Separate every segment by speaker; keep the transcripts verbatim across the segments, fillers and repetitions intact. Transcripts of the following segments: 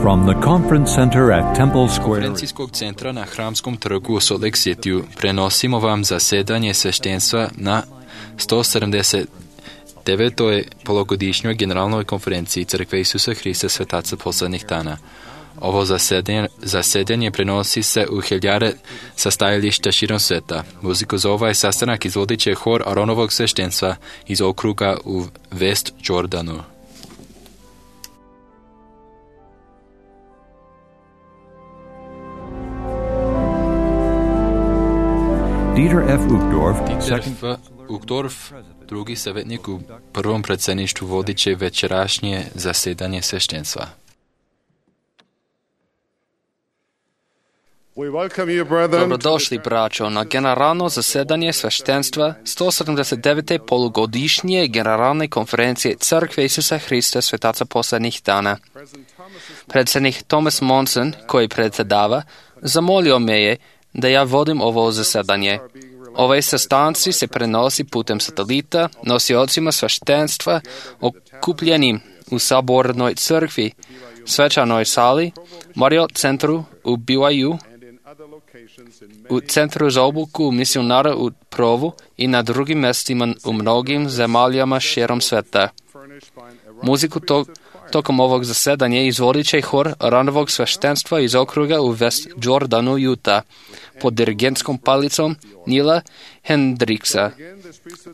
Speaker 1: From the conference center at Temple Square.
Speaker 2: Konferencijskog centra na Hramskom trgu u Salt Lake Cityu prenosimo vam zasedanje sveštenstva na sto sedamdeset devetoj polugodišnjoj generalnoj konferenciji Crkve Isusa Hrista Svetaca poslednjih dana. Ovo zasedanje, zasedanje prenosi se u hiljade sastajališta širom sveta. Muziku za ovaj sastanak izvodit će hor Aronovog sveštenstva iz okruga u West Jordanu.
Speaker 1: Dieter F. Uchtdorf,
Speaker 2: Dieter F. Uchtdorf, drugi savjetnik u prvom predsjedništvu, vodit će večerašnje zasedanje sveštenstva.
Speaker 3: Dobrodošli, braćo, na generalno zasedanje sveštenstva sto sedamdeset devete polugodišnje generalne konferencije Crkve Isusa Hrista Svetaca poslednjih dana. Predsjednik Thomas Monson, koji predsjedava, zamolio me je da ja vodim ovo zasedanje. Ove sastanci se prenosi putem satelita nosiocima sveštenstva okupljenim u sabornoj crkvi, svečanoj sali, Marriott centru u B Y U, u centru za obuku misionara u Provu i na drugim mestima u mnogim zemaljama širom sveta. Muziku to, tokom ovog zasedanja izvodit će hor Aronovog sveštenstva iz okruga u West Jordanu, Utah, pod dirigentskom palicom Nila Hendricksa.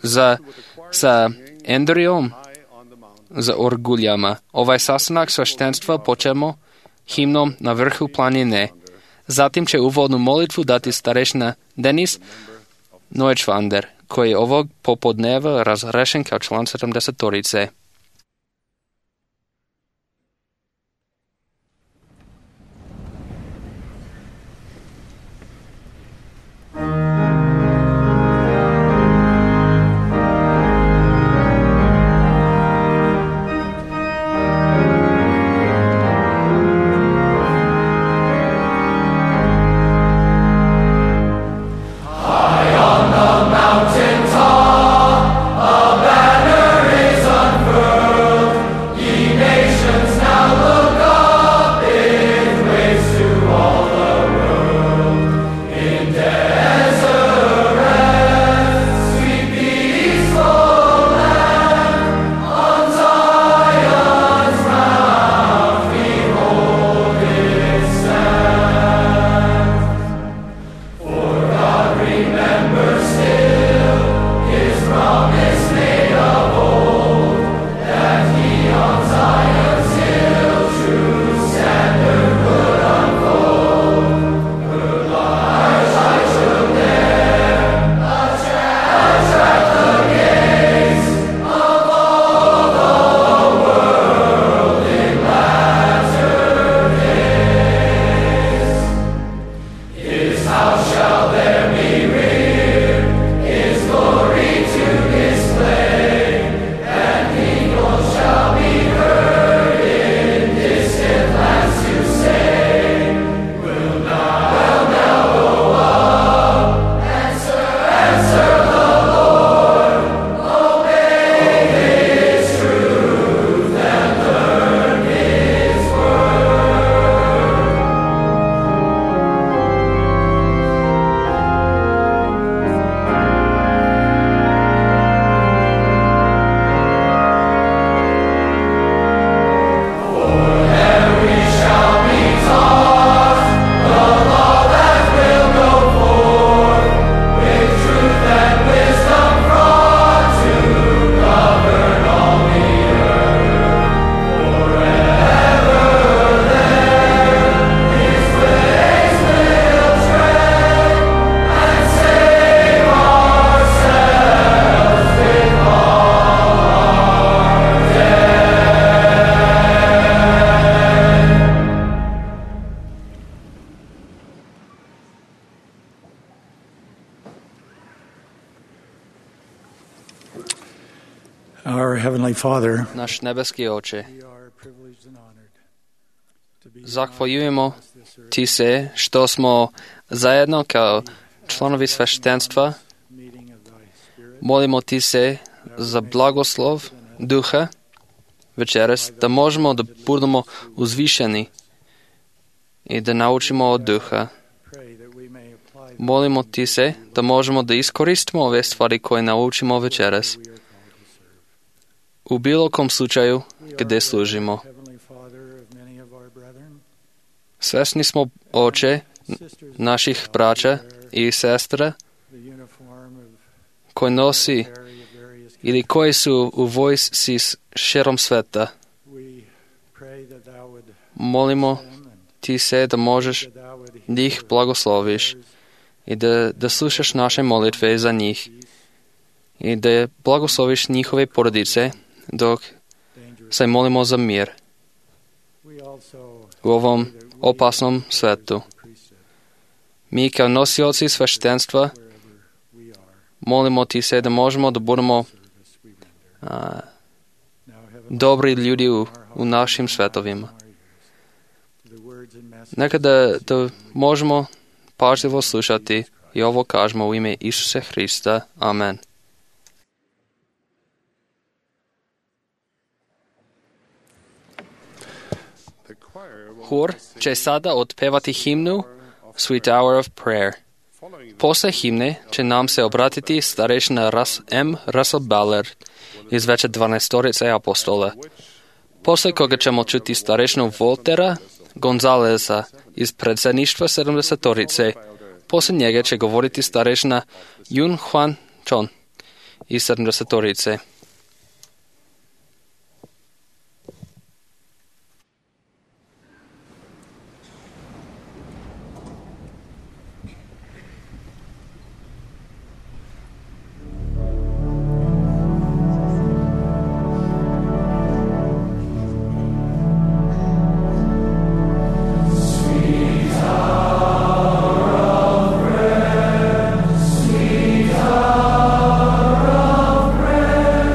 Speaker 3: Za, sa Andrijom za orguljama. Ovaj sastanak sveštenstva počemo himnom Na vrhu planine. Zatim će uvodnu molitvu dati starešina Denis Neuschwander, koji je ovog popodneva razrešen kao član sedamdesetorice.
Speaker 4: Father,
Speaker 3: naš nebeski Oče, zahvaljujemo Ti se što smo zajedno kao članovi sveštenstva. Molimo Ti se za blagoslov duha večeras, da možemo da budemo uzvišeni i da naučimo od duha. Molimo ti se da možemo da iskoristimo ove stvari koje naučimo večeras u bilo kom slučaju gde služimo. Svesni smo, Oče, naših braća i sestra koji nosi ili koji su u vojsci širom sveta. Molimo ti se da možeš da ih blagosloviš i da, da slušaš naše molitve za njih i da blagosloviš njihove porodice dok se molimo za mir u ovom opasnom svetu. Mi kao nosioci sveštenstva molimo ti se da možemo da budemo a, dobri ljudi u, u našim svetovima. Nekada da možemo pažljivo slušati i ovo kažemo u ime Isusa Hrista. Amen. Hor će sada otpevati himnu Sweet Hour of Prayer. Posle himne će nam se obratiti starešina Ras, M. Russell Ballard iz veće dvanaestorice apostola. Posle koga ćemo čuti starešinu Voltera Gonzaleza iz predsjedništva sedamdesetorice. Posle njega će govoriti starešina Yun Hwan Chon iz sedamdesetorice.
Speaker 4: Sweet hour of prayer.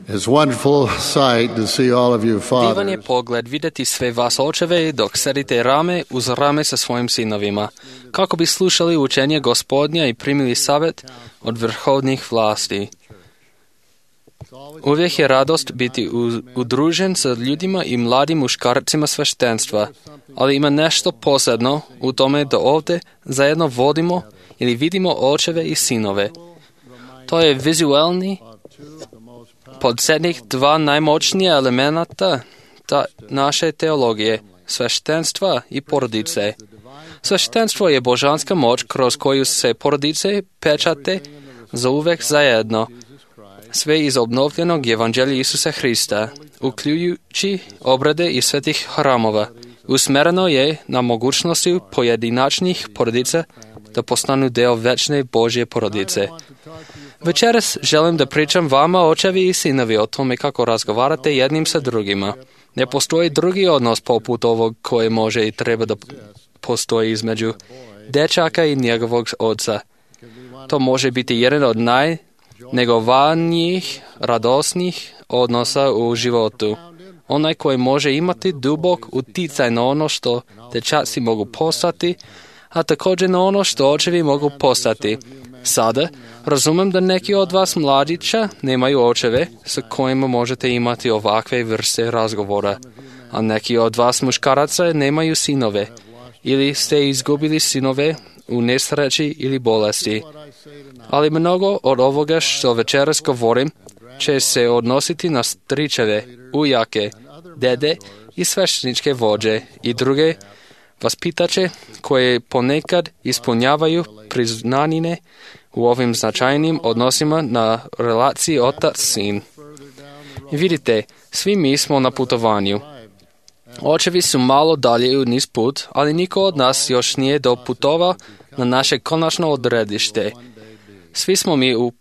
Speaker 4: It's a wonderful sight to see all of you
Speaker 3: Divan je
Speaker 4: fathers
Speaker 3: pogled vidjeti sve vas očeve dok sedite rame uz rame sa svojim sinovima, kako bi slušali učenje Gospodnja i primili savjet od vrhovnih vlasti. Uvijek je radost biti udružen sa ljudima i mladim muškarcima sveštenstva, ali ima nešto posebno u tome da ovdje zajedno vodimo ili vidimo očeve i sinove. To je vizualni podsjetnik dva najmoćnija elementa ta naše teologije, sveštenstva i porodice. Sveštenstvo je božanska moć kroz koju se porodice pečate za uvek zajedno. Sve iz obnovljenog evanđelja Isusa Hrista, uključujući obrade i svetih hramova, usmereno je na mogućnosti pojedinačnih porodica da postanu deo večne Božje porodice. Večeras želim da pričam vama, očevi i sinovi, o tome kako razgovarate jednim sa drugima. Ne postoji drugi odnos poput ovog koje može i treba da postoji između dečaka i njegovog oca. To može biti jedan od najnegovanijih, radosnih odnosa u životu. Onaj koji može imati dubok uticaj na ono što dečaci mogu postati, a također na ono što očevi mogu postati. Sada razumem da neki od vas mladića nemaju očeve sa kojima možete imati ovakve vrste razgovora, a neki od vas muškaraca nemaju sinove ili ste izgubili sinove u nesreći ili bolesti. Ali mnogo od ovoga što večeras govorim će se odnositi na stričeve, ujake, dede i svešteničke vođe i druge vaspitače koje ponekad ispunjavaju priznanine u ovim značajnim odnosima na relaciji otac-sin. Vidite, svi mi smo na putovanju. Očevi su malo dalje u niz put, ali niko od nas još nije doputovao na naše konačno odredište. Svi smo mi u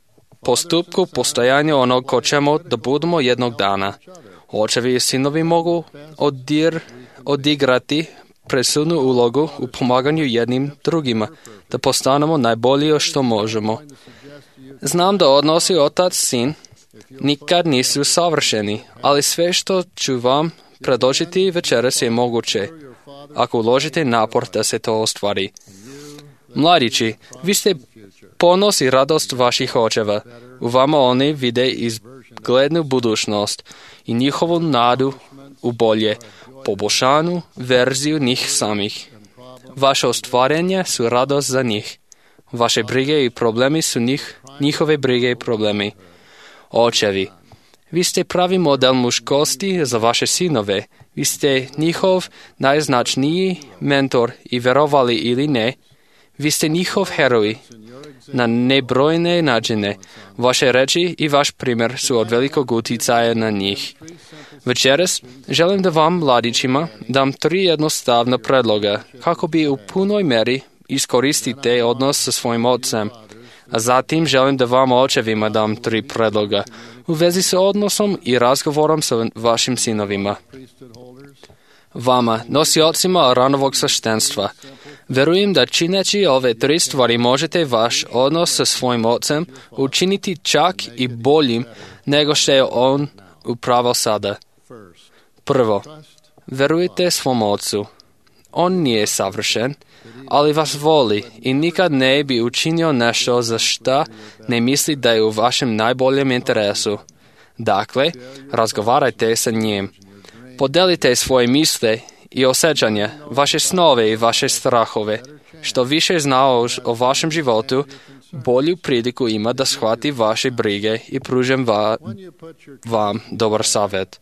Speaker 3: postupku postojanja onog ko ćemo da budemo jednog dana. Očevi i sinovi mogu odir, odigrati presudnu ulogu u pomaganju jednim drugima, da postanemo najbolji što možemo. Znam da odnosi otac-sin nikad nisu savršeni, ali sve što ću vam predočiti večeras je moguće, ako uložite napor da se to ostvari. Mladići, vi ste ponos i radost vaših očeva. U vama oni vide izglednu budućnost i njihovu nadu u bolje, poboljšanu verziju njih samih. Vaše ostvarenja su radost za njih. Vaše brige i problemi su njih, njihove brige i problemi. Očevi, vi ste pravi model muškosti za vaše sinove. Vi ste njihov najznačniji mentor i verovali ili ne, vi ste njihov heroj na nebrojne načine. Vaše reči i vaš primjer su od velikog uticaja na njih. Večeras želim da vam, mladićima, dam tri jednostavna predloga kako bi u punoj meri iskoristite odnos sa svojim ocem. A zatim želim da vam, očevima, dam tri predloga u vezi sa odnosom i razgovorom sa vašim sinovima. Vama, nosiocima ranovog sveštenstva, verujem da čineći ove tri stvari možete vaš odnos sa svojim ocem učiniti čak i boljim nego što je on upravo sada. Prvo, verujte svom ocu. On nije savršen, ali vas voli i nikad ne bi učinio nešto za šta ne misli da je u vašem najboljem interesu. Dakle, razgovarajte sa njim. Podelite svoje misle i osjećanja, vaše snove i vaše strahove. Što više zna o, o vašem životu, bolju priliku ima da shvati vaše brige i pružim va, vam dobar savjet.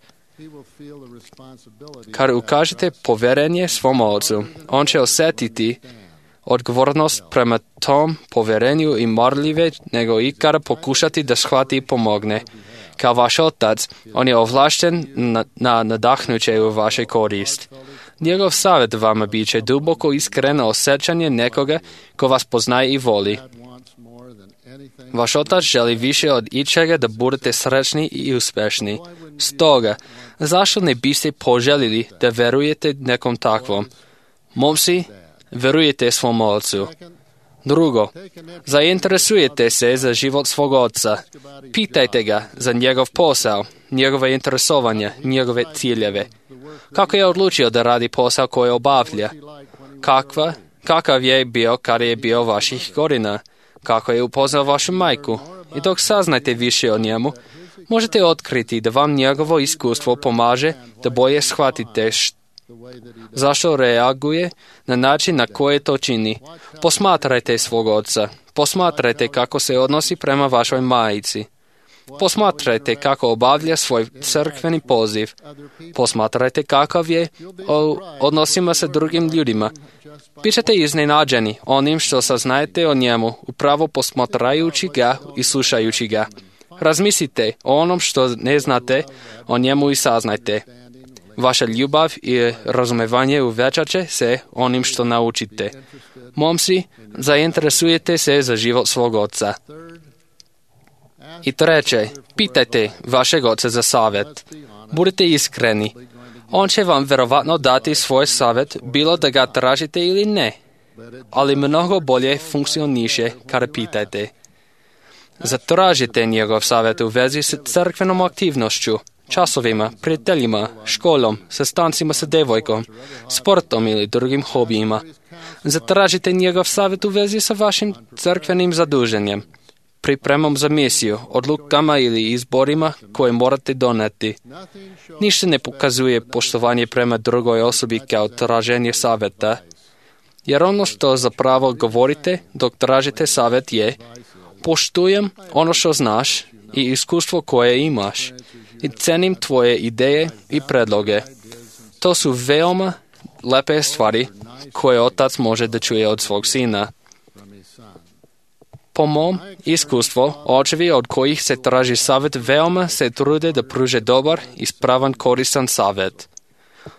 Speaker 3: Kad ukažete poverenje svom ocu, on će osjetiti odgovornost prema tom poverenju i marljive nego ikada pokušati da shvati i pomogne. Kao vaš otac, on je ovlašten na, na nadahnuće u vaše korist. Njegov savjet vama bit će duboko iskreno osjećanje nekoga ko vas poznaje i voli. Vaš otac želi više od ičega da budete srećni i uspješni. Stoga, zašto ne biste poželjeli da verujete nekom takvom? Momci, verujete svom ocu. Drugo, zainteresujete se za život svog oca. Pitajte ga za njegov posao, njegove interesovanja, njegove ciljeve. Kako je odlučio da radi posao koji obavlja? Kakva, kakav je bio kada je bio vaših godina? Kako je upoznao vašu majku? I dok saznajte više o njemu, možete otkriti da vam njegovo iskustvo pomaže da bolje shvatite što zašto reaguje na način na koji to čini. Posmatrajte svog oca. Posmatrajte kako se odnosi prema vašoj majici. Posmatrajte kako obavlja svoj crkveni poziv. Posmatrajte kakav je u odnosima sa drugim ljudima. Bićete iznenađeni onim što saznajete o njemu, upravo posmatrajući ga i slušajući ga. Razmislite o onom što ne znate o njemu i saznajte. Vaša ljubav i razumevanje uvećat će se onim što naučite. Momci, zainteresujete se za život svog oca. I treće, pitajte vašeg oca za savjet. Budite iskreni. On će vam verovatno dati svoj savjet, bilo da ga tražite ili ne. Ali mnogo bolje funkcioniše kada pitajte. Zatražite njegov savjet u vezi s crkvenom aktivnošću, časovima, prijateljima, školom, sastancima sa devojkom, sportom ili drugim hobijima. Zatražite njegov savjet u vezi sa vašim crkvenim zaduženjem, pripremom za misiju, odlukama ili izborima koje morate doneti. Ništa ne pokazuje poštovanje prema drugoj osobi kao traženje savjeta, jer ono što zapravo govorite dok tražite savjet je: poštujem ono što znaš i iskustvo koje imaš i cenim tvoje ideje i predloge. To su veoma lepe stvari koje otac može da čuje od svog sina. Po mom iskustvu, očevi od kojih se traži savjet veoma se trude da pruže dobar, ispravan, koristan savjet.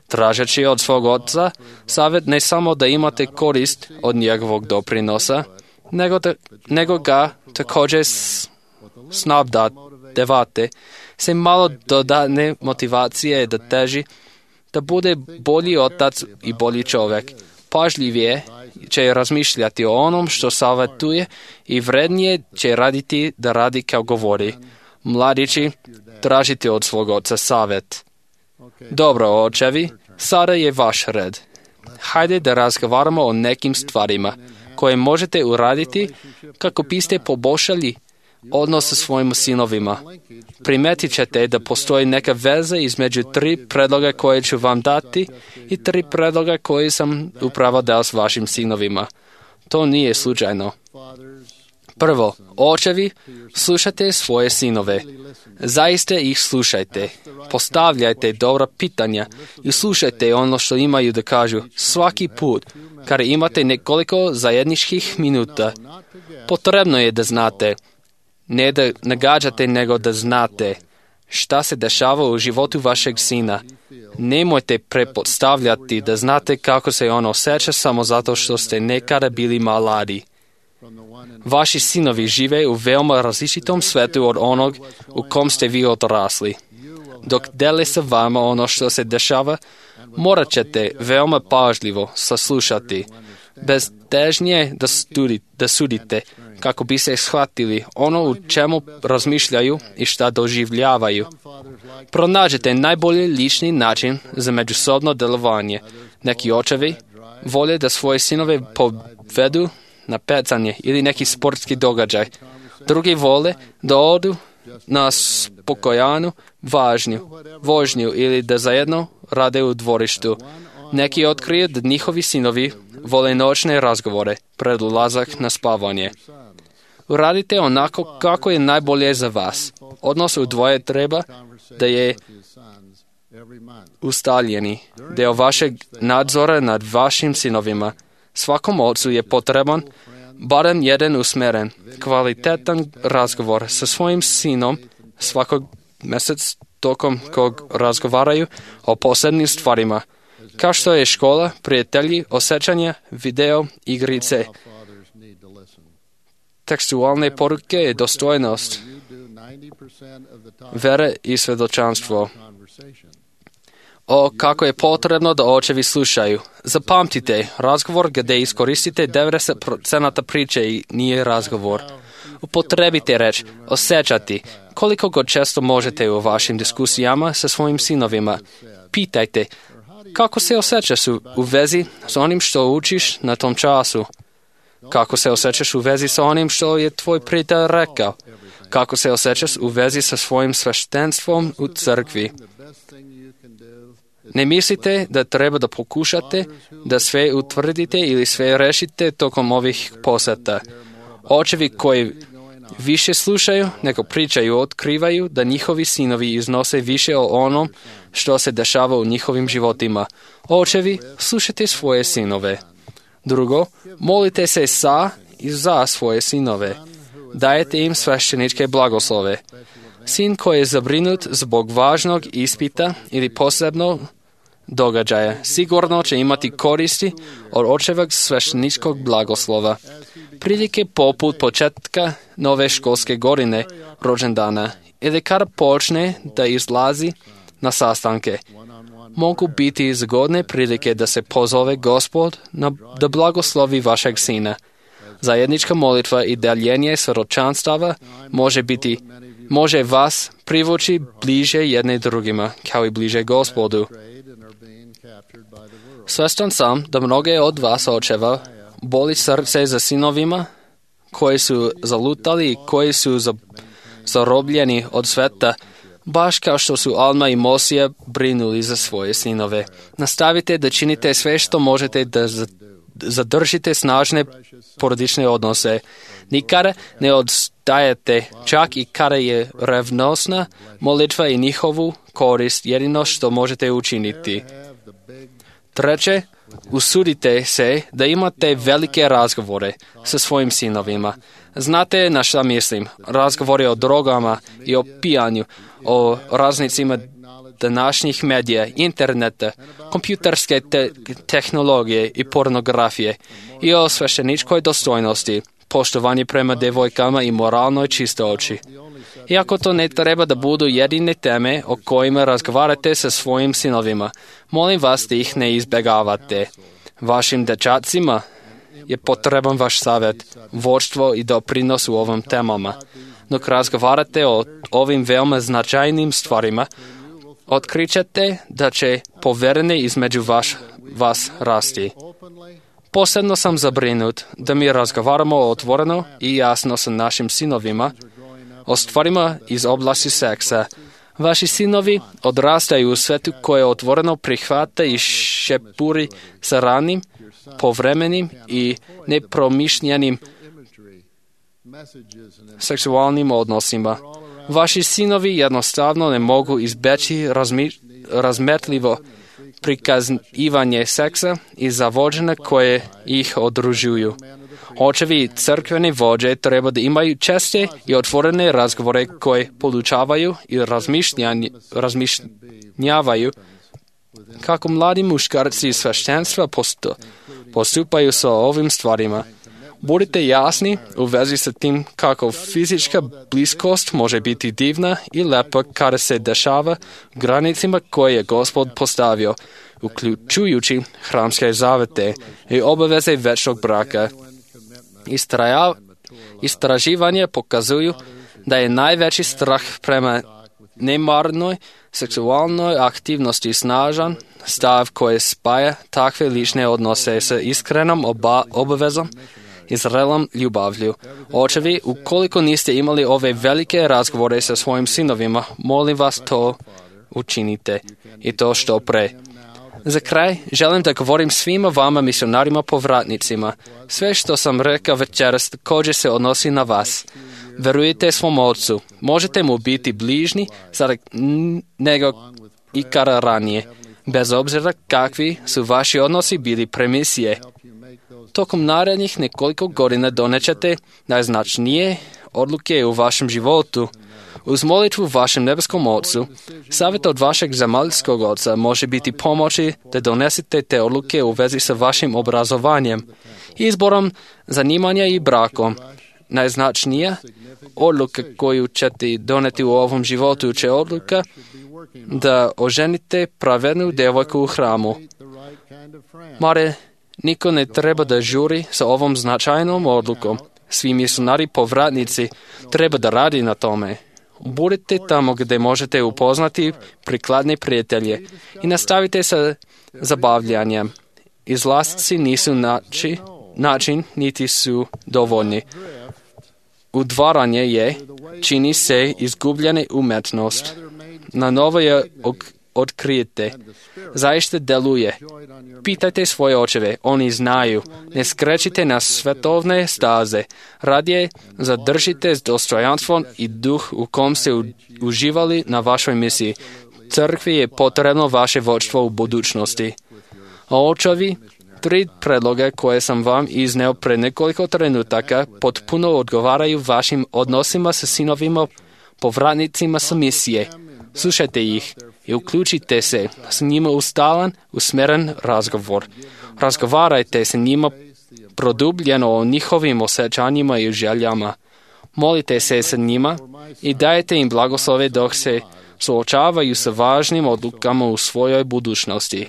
Speaker 3: Tražeći od svog oca savjet ne samo da imate korist od njegovog doprinosa, nego, da, nego ga također snabdevate se malo dodatne motivacije da teži da bude bolji otac i bolji čovjek. Pažljivije će razmišljati o onom što savjetuje i vrednije će raditi da radi kao govori. Mladići, tražite od svog oca savjet. Dobro, očevi, sada je vaš red. Hajde da razgovaramo o nekim stvarima koje možete uraditi kako biste poboljšali odnos sa svojim sinovima. Primetit ćete da postoji neka veza između tri predloga koje ću vam dati i tri predloga koje sam upravo dao s vašim sinovima. To nije slučajno. Prvo, očevi, slušajte svoje sinove. Zaista ih slušajte. Postavljajte dobra pitanja i slušajte ono što imaju da kažu svaki put kada imate nekoliko zajedničkih minuta. Potrebno je da znate, ne da nagađate, nego da znate šta se dešava u životu vašeg sina. Nemojte pretpostavljati da znate kako se on osjeća samo zato što ste nekada bili mladi. Vaši sinovi žive u veoma različitom svetu od onog u kom ste vi odrasli. Dok dele sa vama ono što se dešava, morat ćete veoma pažljivo saslušati, bez težnje da, studi, da sudite, kako bi se shvatili ono u čemu razmišljaju i šta doživljavaju. Pronađite najbolji lični način za međusobno delovanje. Neki očevi vole da svoje sinove povedu na pecanje ili neki sportski događaj. Drugi vole da odu na spokojanu važnju, vožnju ili da zajedno rade u dvorištu. Neki otkriju da njihovi sinovi vole noćne razgovore pred ulazak na spavanje. Uradite onako kako je najbolje za vas. Odnos u dvoje treba da je ustaljeni deo vašeg nadzora nad vašim sinovima. Svakom ocu je potreban barem jedan usmeren, kvalitetan razgovor sa svojim sinom svakog mjesec tokom kog razgovaraju o posebnim stvarima, kao što je škola, prijatelji, osjećanja, video, igrice, tekstualne poruke, dostojnost, vere i svjedočanstvo. o kako je potrebno da očevi slušaju. Zapamtite, razgovor gdje iskoristite devedeset posto priče i nije razgovor. Upotrebite reč osjećati. Koliko god često možete u vašim diskusijama sa svojim sinovima. Pitajte, kako se osjećaš u, u vezi s onim što učiš na tom času? Kako se osjećaš u vezi sa onim što je tvoj prijatelj rekao? Kako se osjećaš u vezi sa svojim sveštenstvom u crkvi? Ne mislite da treba da pokušate da sve utvrdite ili sve rešite tokom ovih poseta. Očevi koji više slušaju nego pričaju otkrivaju da njihovi sinovi iznose više o onom što se dešava u njihovim životima. Očevi, slušajte svoje sinove. Drugo, molite se sa i za svoje sinove. Dajete im svešteničke blagoslove. Sin koji je zabrinut zbog važnog ispita ili posebno događaja sigurno će imati koristi od očevog svešteničkog blagoslova. Prilike poput početka nove školske godine, rođendana ili kada počne da izlazi na sastanke. Mogu biti zgodne prilike da se pozove Gospod na, da blagoslovi vašeg sina. Zajednička molitva i deljenje svjedočanstava može biti, može vas privući bliže jedne drugima, kao i bliže Gospodu. Svjestan sam da mnoge od vas očeva boli srce za sinovima koji su zalutali i koji su zarobljeni od sveta, baš kao što su Alma i Mosija brinuli za svoje sinove. Nastavite da činite sve što možete da zadržite snažne porodične odnose. Nikada ne odstajete, čak i kada je revnosna molitva i njihovu korist jedino što možete učiniti. Treće, usudite se da imate velike razgovore sa svojim sinovima. Znate na šta mislim? Razgovori o drogama i o pijanju, o raznicima današnjih medija, interneta, kompjuterske te- tehnologije i pornografije i o svešteničkoj dostojnosti, poštovanje prema devojkama i moralnoj čistoći. Iako to ne treba da budu jedine teme o kojima razgovarate sa svojim sinovima, molim vas da ih ne izbjegavate. Vašim dečacima je potreban vaš savjet, vodstvo i doprinos u ovim temama. Dok razgovarate o ovim veoma značajnim stvarima, otkrićete da će poverenje između vaš, vas rasti. Posebno sam zabrinut da mi razgovaramo otvoreno i jasno sa našim sinovima o stvarima iz oblasti seksa. Vaši sinovi odrastaju u svetu koje otvoreno prihvata i šepuri sa ranim, povremenim i nepromišljenim seksualnim odnosima. Vaši sinovi jednostavno ne mogu izbeći razmi, razmetljivo prikazivanje seksa i zavođene koje ih odružuju. Očevi i crkveni vođe treba da imaju česte i otvorene razgovore koje podučavaju i razmišljavaju kako mladi muškarci iz sveštenstva postupaju sa ovim stvarima. Budite jasni u vezi sa tim kako fizička bliskost može biti divna i lepa kada se dešava granicima koje je Gospod postavio, uključujući hramske zavete i obaveze večnog braka. Istraja, istraživanje pokazuju da je najveći strah prema nemarnoj seksualnoj aktivnosti snažan stav koji spaja takve lične odnose sa iskrenom oba, obavezom i zrelom ljubavlju. Očevi, ukoliko niste imali ove velike razgovore sa svojim sinovima, molim vas to učinite i to što pre. Za kraj, želim da govorim svima vama misionarima povratnicima. Sve što sam rekao večeras također se odnosi na vas. Verujete svom ocu. Možete mu biti bližni sada nego ikada ranije, bez obzira kakvi su vaši odnosi bili pre misije. Tokom narednih nekoliko godina donećete najznačnije odluke u vašem životu. Uz molitvu vašem nebeskom Ocu, savjet od vašeg zemaljskog Oca može biti pomoći da donesete te odluke u vezi sa vašim obrazovanjem, izborom, zanimanja i brakom. Najznačnija odluka koju ćete doneti u ovom životu će odluka da oženite pravednu djevojku u hramu. Mare, niko ne treba da žuri sa ovom značajnom odlukom. Svi misionari povratnici treba da radi na tome. Budite tamo gdje možete upoznati prikladne prijatelje i nastavite sa zabavljanjem. Izlasci nisu nači, način, niti su dovoljni. Udvaranje je, čini se, izgubljena umetnost. Na novo je otkrijete. Zaista deluje. Pitajte svoje očeve, oni znaju. Ne skrećite na svetovne staze. Radije zadržite dostojanstvo i duh u kom ste uživali na vašoj misiji. Crkvi je potrebno vaše vodstvo u budućnosti. A očevi, tri predloge koje sam vam izneo pre nekoliko trenutaka potpuno odgovaraju vašim odnosima sa sinovima povratnicima sa misije. Slušajte ih i uključite se s njima u stalan, usmeren razgovor. Razgovarajte s njima produbljeno o njihovim osjećanjima i željama. Molite se s njima i dajte im blagoslove dok se suočavaju sa važnim odlukama u svojoj budućnosti.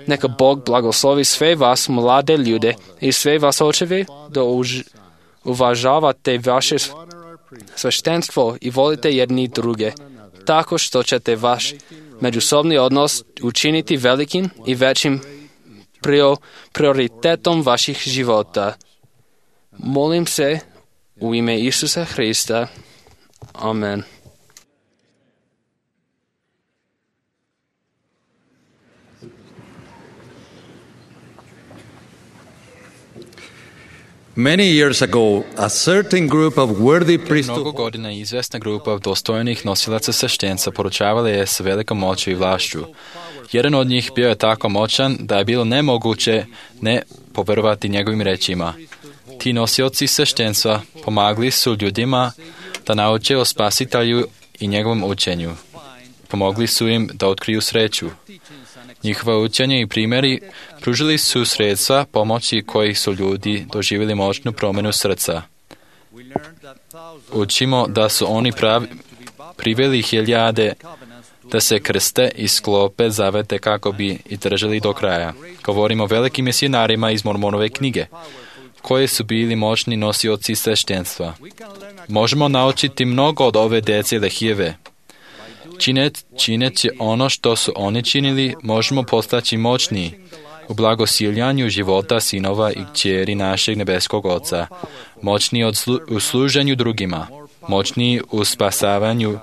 Speaker 3: Neka Bog blagoslovi sve vas, mlade ljude, i sve vas očeve, da už, uvažavate vaše sveštenstvo i volite jedni druge, tako što ćete vaš međusobni odnos učiniti velikim i većim prio, prioritetom vaših života. Molim se u ime Isusa Hrista. Amen.
Speaker 1: Many years ago, a certain group of worthy priests
Speaker 2: Mnogo godina izvesna grupa dostojnih nosilaca sveštenstva poručavala je sa velikom moću i vlašću. Jedan od njih bio je tako moćan da je bilo nemoguće ne poverovati njegovim rečima. Ti nosioci sveštenstva pomagli su ljudima da nauče o Spasitelju i njegovom učenju. Pomogli su im da otkriju sreću. Njihova učenja i primjeri pružili su sredstva pomoći kojih su ljudi doživjeli moćnu promjenu srca. Učimo da su oni pravi, priveli hiljade da se krste i sklope zavete kako bi i držali do kraja. Govorimo o velikim misionarima iz Mormonove knjige, koji su bili moćni nosioci sveštenstva. Možemo naučiti mnogo od ove djece Lehijeve. Činet, čineći ono što su oni činili, možemo postaći moćni u blagosiljanju života sinova i kćeri našeg nebeskog Oca, moćni od slu, u služenju drugima, moćni u spasavanju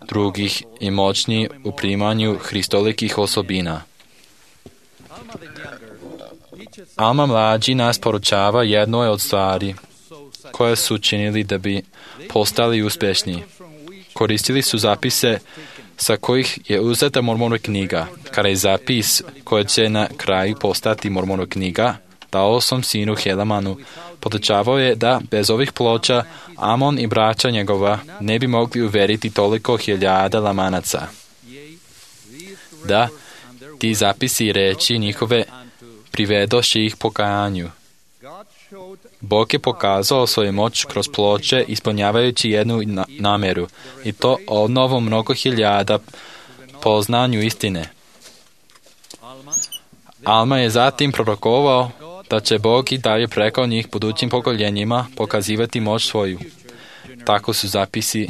Speaker 2: drugih i moćni u primanju hristolikih osobina. Alma mlađi nas poručava jednoj od stvari koje su činili da bi postali uspješni. Koristili su zapise sa kojih je uzeta Mormonova knjiga. Kada je zapis koji će na kraju postati Mormonova knjiga, dao sam sinu Helamanu, podučavao je da bez ovih ploča Amon i braća njegova ne bi mogli uveriti toliko hiljada lamanaca. Da, ti zapisi i reči njihove privedoše ih pokajanju. Bog je pokazao svoju moć kroz ploče ispunjavajući jednu na- namjeru i to obnovu mnogo hiljada poznanju istine. Alma je zatim prorokovao da će Bog i dalje preko njih budućim pokoljenjima pokazivati moć svoju. Tako su zapisi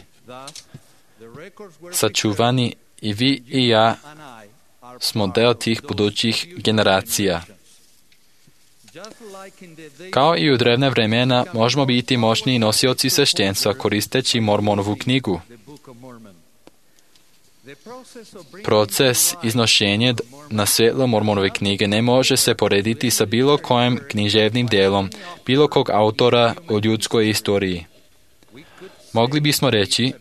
Speaker 2: sačuvani i vi i ja smo deo tih budućih generacija. Kao i u drevne vremena, možemo biti moćni nosioci sveštenstva koristeći Mormonovu knjigu. Proces iznošenja na svjetlo Mormonove knjige ne može se porediti sa bilo kojim književnim dijelom, bilo kog autora u ljudskoj istoriji. Mogli bismo reći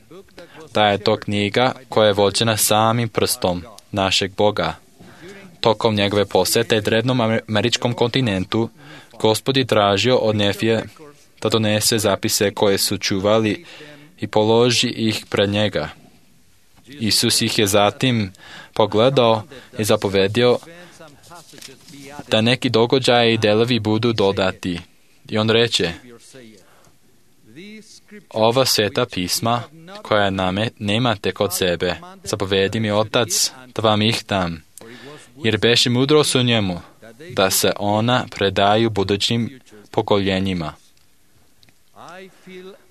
Speaker 2: da je to knjiga koja je vođena samim prstom našeg Boga. Tokom njegove posjete drevnom američkom kontinentu, Gospod je tražio od Nefije da donese zapise koje su čuvali i položi ih pred njega. Isus ih je zatim pogledao i zapovedio da neki događaji i delovi budu dodati. I on reče, ova sveta pisma, koja name, nemate kod sebe, zapovedi mi Otac da vam ih dam, jer beše mudrost u njemu, da se ona predaju budućim pokoljenjima.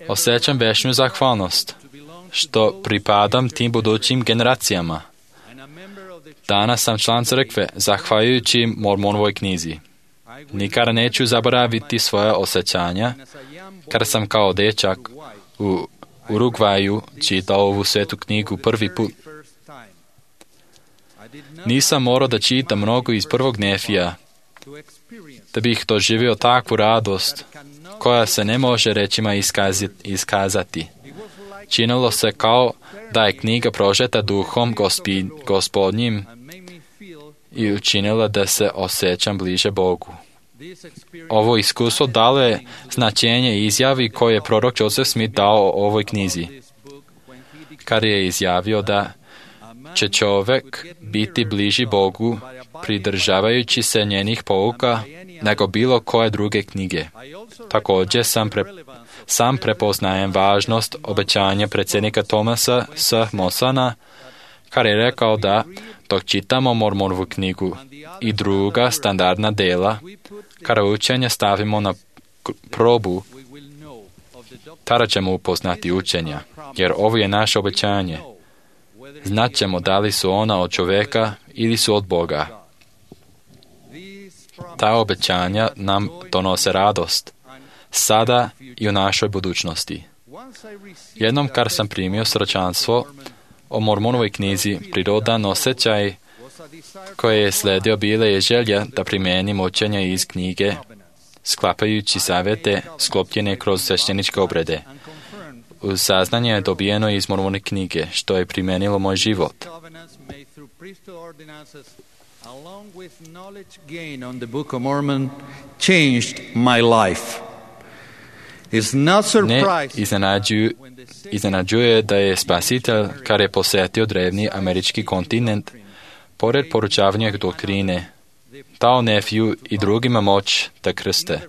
Speaker 2: Osjećam večnu zahvalnost, što pripadam tim budućim generacijama. Danas sam član crkve, zahvaljujući Mormonovoj knjizi. Nikada neću zaboraviti svoje osjećanja, kada sam kao dečak u Urugvaju čitao ovu svetu knjigu prvi put. Nisam morao da čitam mnogo iz prvog Nefija, da bih doživio takvu radost, koja se ne može rečima iskazati. Činilo se kao da je knjiga prožeta duhom gospi, gospodnjim i učinila da se osjećam bliže Bogu. Ovo iskustvo dalo je značenje izjavi koje je prorok Joseph Smith dao o ovoj knjizi, kad je izjavio da će čovjek biti bliži Bogu pridržavajući se njenih pouka nego bilo koje druge knjige. Također sam, pre, sam prepoznajem važnost obećanja predsjednika Thomasa S. Mosana, kad je rekao da dok čitamo Mormonovu knjigu i druga standardna dela, kada učenje stavimo na probu, tada ćemo upoznati učenja, jer ovo je naše obećanje. Znaćemo da li su ona od čovjeka ili su od Boga. Ta obećanja nam donose radost, sada i u našoj budućnosti. Jednom kad sam primio sročanstvo o Mormonovoj knjizi, prirodan osjećaj koje je sledio bila je želja da primenim učenja iz knjige, sklapajući zavete sklopljene kroz svešteničke obrede. Uz saznanje je dobijeno iz Mormonove knjige, što je primenilo moj život.
Speaker 1: Along with knowledge gained on the Book of Mormon changed my life. It's not surprising.
Speaker 2: Ne iznenađuje da je Spasitelj, kad je posjetio drevni američki kontinent, pored poručavanja doktrine, dao Nefiju i drugima moć da krste.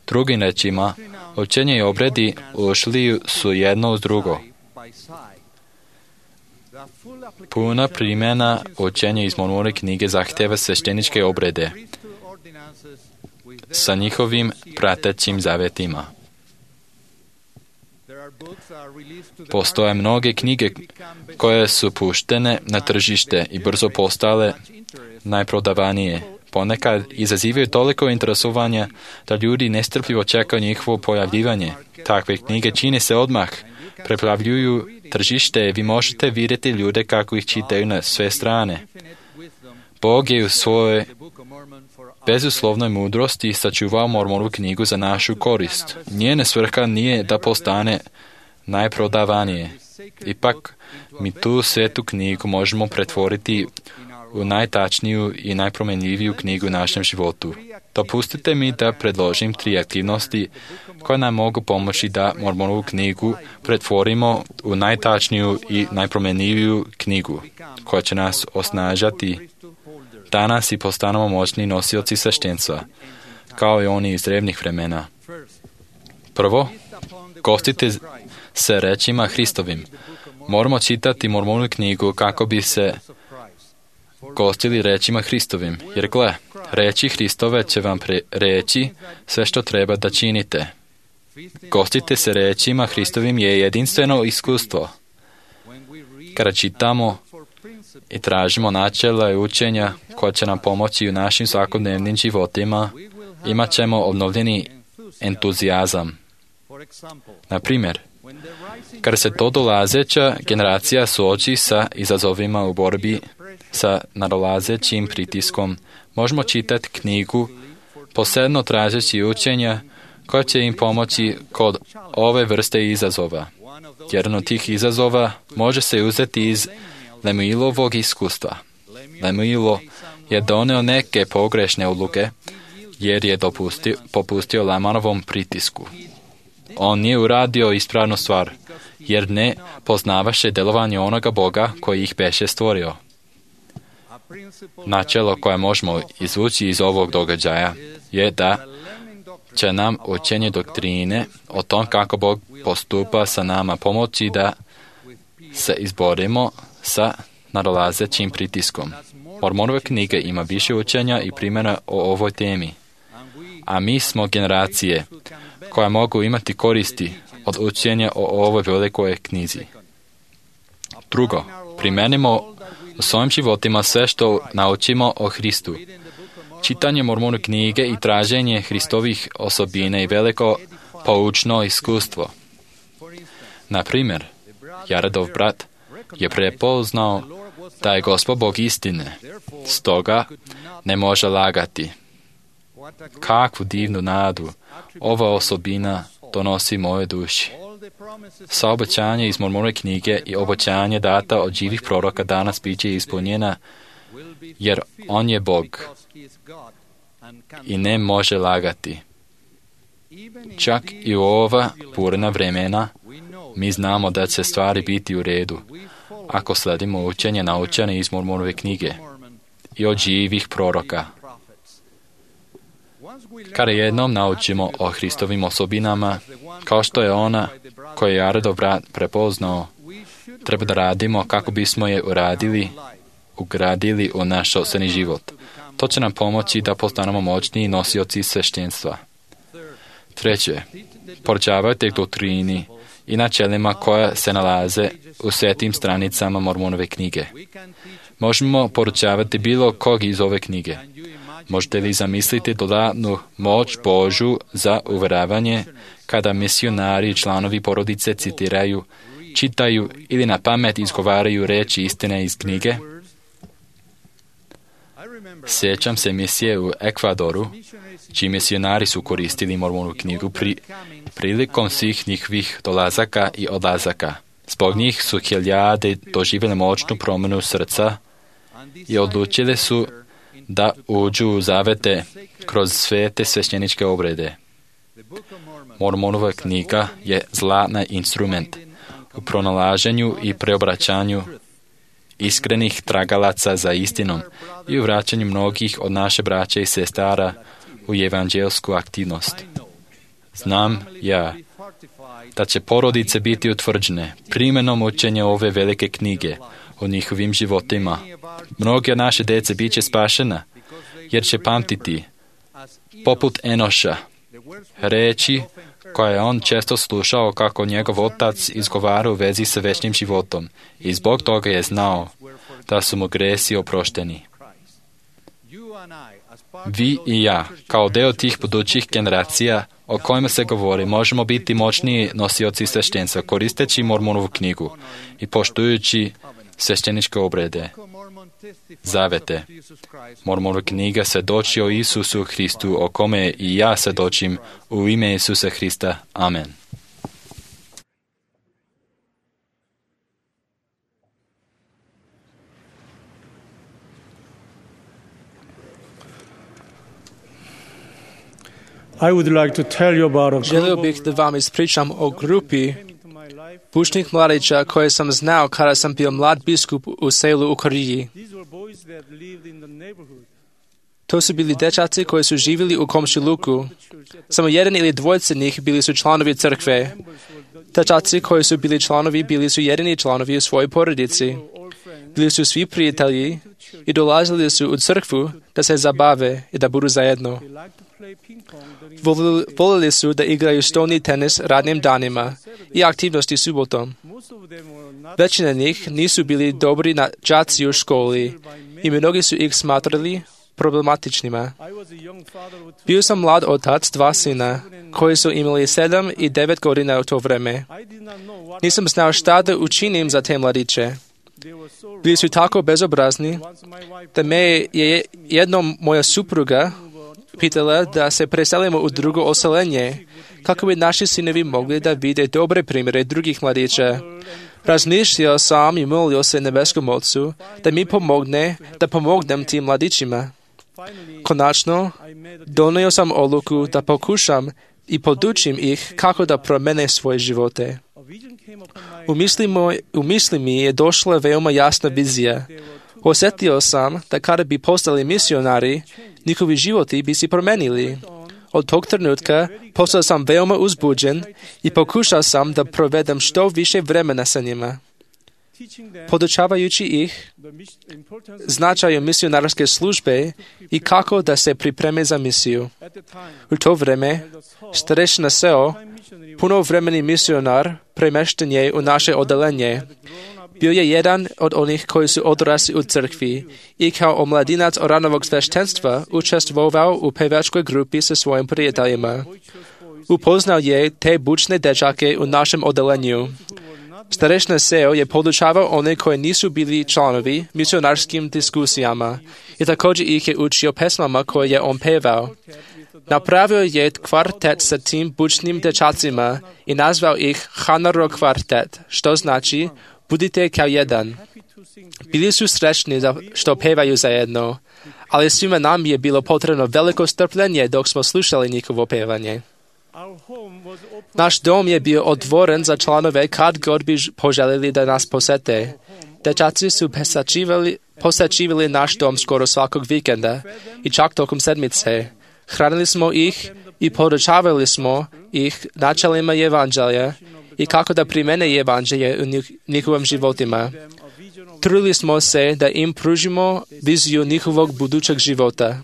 Speaker 2: Drugim rečima, učenje i obredi ušli su jedno uz drugo. Puna primjena učenja iz Mormonove knjige zahteva svešteničke obrede sa njihovim pratećim zavetima. Postoje mnoge knjige koje su puštene na tržište i brzo postale najprodavanije. Ponekad izazivaju toliko interesovanja da ljudi nestrpljivo čekaju njihovo pojavljivanje. Takve knjige čine se odmah, preplavljuju tržište, vi možete vidjeti ljude kako ih čitaju na sve strane. Bog je u svojoj bezuslovnoj mudrosti sačuvao Mormonovu knjigu za našu korist. Njena svrha nije da postane najprodavanije. Ipak, mi tu svetu knjigu možemo pretvoriti u najtačniju i najpromenljiviju knjigu u našem životu. Dopustite mi da predložim tri aktivnosti koje nam mogu pomoći da Mormonovu knjigu pretvorimo u najtačniju i najpromenljiviju knjigu, koja će nas osnažati danas i postanemo moćni nosioci sveštenstva, kao i oni iz drevnih vremena. Prvo, gostite se rečima Hristovim. Moramo čitati Mormonovu knjigu kako bi se gostili rečima Hristovim, jer gle, reči Hristove će vam pre- reći sve što treba da činite. Gostite se rečima Hristovim je jedinstveno iskustvo. Kada čitamo i tražimo načela i učenja koja će nam pomoći u našim svakodnevnim životima, imat ćemo obnovljeni entuzijazam. Na primjer, kada se to dolazeća generacija suoči sa izazovima u borbi sa nadolazećim pritiskom, možemo čitati knjigu posebno tražeći učenja koja će im pomoći kod ove vrste izazova. Jedan od tih izazova može se uzeti iz Lemuilovog iskustva. Lemuilo je doneo neke pogrešne odluke jer je dopustio, popustio Lamanovom pritisku. On nije uradio ispravnu stvar jer ne poznavaše delovanje onoga Boga koji ih beše stvorio. Načelo koje možemo izvući iz ovog događaja je da će nam učenje doktrine o tom kako Bog postupa sa nama pomoći da se izborimo sa nadolazećim pritiskom. Mormonova knjiga ima više učenja i primjera o ovoj temi, a mi smo generacije koja mogu imati koristi od učenja o ovoj velikoj knjizi. Drugo, primenimo u svojim životima sve što naučimo o Hristu. Čitanje Mormonove knjige i traženje Hristovih osobina i veliko poučno iskustvo. Na primjer, Jaredov brat je prepoznao da je Gospod Bog istine, stoga ne može lagati. Kakvu divnu nadu ova osobina donosi moje duši. Saobećanje iz Mormonove knjige i obećanje data od živih proroka danas biće ispunjena, jer on je Bog i ne može lagati. Čak i u ova burna vremena mi znamo da će stvari biti u redu ako sledimo učenje naučene iz Mormonove knjige i od živih proroka. Kada jednom naučimo o Hristovim osobinama, kao što je ona koju je Jaredov brat prepoznao, treba da radimo kako bismo je uradili, ugradili u naš sopstveni život. To će nam pomoći da postanemo moćni nosioci sveštenstva. Treće, poručavajte doktrini i načelima koja se nalaze u svetim stranicama Mormonove knjige. Možemo poručavati bilo kog iz ove knjige. Možete li zamisliti dodatnu moć Božju za uveravanje kada misionari i članovi porodice citiraju, čitaju ili na pamet izgovaraju reči istine iz knjige? Sjećam se misije u Ekvadoru, čiji misionari su koristili Mormonovu knjigu pri, prilikom svih njihovih dolazaka i odlazaka. Zbog njih su hiljade doživjeli moćnu promjenu srca i odlučili su da uđu u zavete kroz svete svešteničke obrede. Mormonova knjiga je zlatni instrument u pronalaženju i preobraćanju iskrenih tragalaca za istinom i u vraćanju mnogih od naše braće i sestara u evanđelsku aktivnost. Znam ja da će porodice biti utvrđene primjenom učenja ove velike knjige u njihovim životima. Mnoge od naše djece bit će spašena, jer će pamtiti, poput Enoša, reči koje je on često slušao kako njegov otac izgovara u vezi sa večnim životom i zbog toga je znao da su mu gresi oprošteni. Vi i ja, kao deo tih budućih generacija o kojima se govori, možemo biti moćniji nosioci sveštenstva koristeći Mormonovu knjigu i poštujući svešteničke obrede, zavete. Mormonova knjiga svjedoči o Isusu Hristu, o kome i ja svjedočim u ime Isusa Hrista. Amen.
Speaker 5: I would like to tell you about a
Speaker 3: Želio bih da vam ispričam o grupi pučnih mladića koje sam znao kada sam bio mlad biskup u selu u Koreji. To su bili dečaci koji su živjeli u komšiluku. Samo jedan ili dvojice njih bili su članovi crkve. Dečaci koji su bili članovi bili su jedini članovi u svojoj porodici. Bili su svi prijatelji i dolazili su u crkvu da se zabave i da budu zajedno. Volili, volili su da igraju stolni tenis radnim danima i aktivnosti subotom. Većina njih nisu bili dobri na đaci u školi i mnogi su ih smatrali problematičnima. Bio sam mlad otac dva sina, koji su imali sedam i devet godina u to vreme. Nisam znao šta da učinim za te mladiće. Bili su tako bezobrazni da me je jednom moja supruga pitala da se preselimo u drugo oselenje, kako bi naši sinovi mogli da vide dobre primjere drugih mladića. Razmišljao sam i molio se nebeskom Ocu da mi pomogne da pomognem tim mladićima. Konačno, donio sam odluku da pokušam i podučim ih kako da promene svoje živote. U misli, moj, u misli mi je došla veoma jasna vizija. Osjetio sam da kada bi postali misionari, njihovi životi bi se promenili.
Speaker 6: Od tog trenutka postao sam veoma uzbuđen i pokušao sam da provedem što više vremena sa njima. Podučavajući ih značaju misionarske službe i kako da se pripreme za misiju. U to vreme starešina Seo, punovremeni misionar, premešten je u naše odelenje. Bio je jedan od onih koji su odrasli u crkvi i kao omladinac oranovog sveštenstva učestvovao u pevačkoj grupi sa svojim prijateljima. Upoznao je te bučne dečake u našem odelenju. Starešina Seo je podučavao one koji nisu bili članovi misionarskim diskusijama i također ih je učio pesmama koje je on pevao. Napravio je kvartet sa tim bučnim dečacima i nazvao ih Hanaro kvartet, što znači budite kao jedan. Bili su srećni da što pevaju zajedno, ali svima nam je bilo potrebno veliko strpljenje dok smo slušali njihovo pevanje. Naš dom je bio otvoren za članove kad god bi poželjeli da nas posete. Dečaci su posačivali, posačivali naš dom skoro svakog vikenda i čak tokom sedmice. Hranili smo ih i podučavali smo ih načelima evanđelja i kako da primene evanđelje u njihovim životima. Trudili smo se da im pružimo viziju njihovog budućeg života.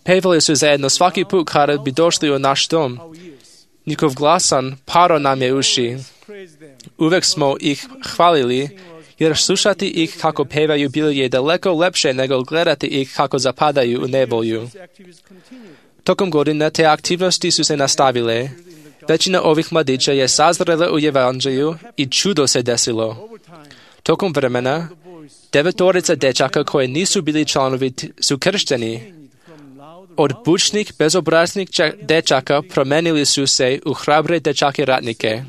Speaker 6: Pevali su zajedno svaki put kada bi došli u naš dom. Njihov glasan paro nam je uši. Uvek smo ih hvalili, jer slušati ih kako pevaju bilo je daleko lepše nego gledati ih kako zapadaju u nevolju. Tokom godina te aktivnosti su se nastavile. Većina ovih mladića je sazrela u evanđelju i čudo se desilo. Tokom vremena, devetorica dečaka koji nisu bili članovi su kršteni. Od bučnih, bezobraznih dečaka promenili su se u hrabre dečake ratnike.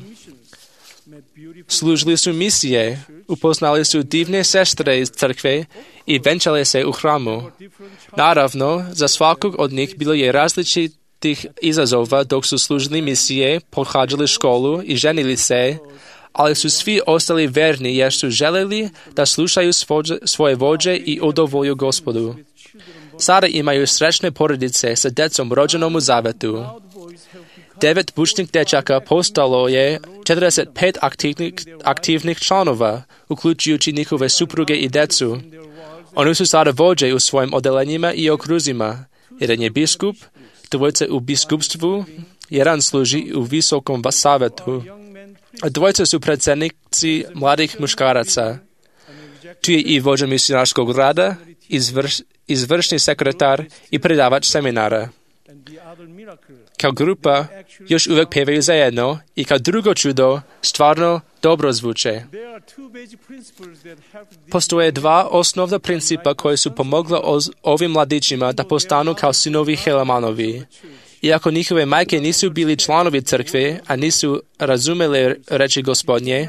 Speaker 6: Služili su misije, upoznali su divne sestre iz crkve i venčali se u hramu. Naravno, za svakog od njih bilo je različitih izazova dok su služili misije, pohađali školu i ženili se, ali su svi ostali verni jer su želeli da slušaju svoje vođe i udovolju Gospodu. Sada imaju srećne porodice sa decom rođenom u zavetu. Devet bučnih dečaka postalo je četrdeset pet aktivnih, aktivnih članova, uključujući njihove supruge i decu. Oni su sada vođe u svojim odelenjima i okruzima. Jedan je biskup, dvojica u biskupstvu, jedan služi u visokom savetu. A dvojica su predsjednici mladih muškaraca. Tu je i vođa misionarskog rada, izvrš, izvršni sekretar i predavač seminara. Kao grupa još uvijek pevaju zajedno i kao drugo čudo stvarno dobro zvuče. Postoje dva osnovna principa koji su pomogla ovim mladićima da postanu kao sinovi Helemanovi. Iako njihove majke nisu bili članovi crkve, a nisu razumeli reči Gospodnje,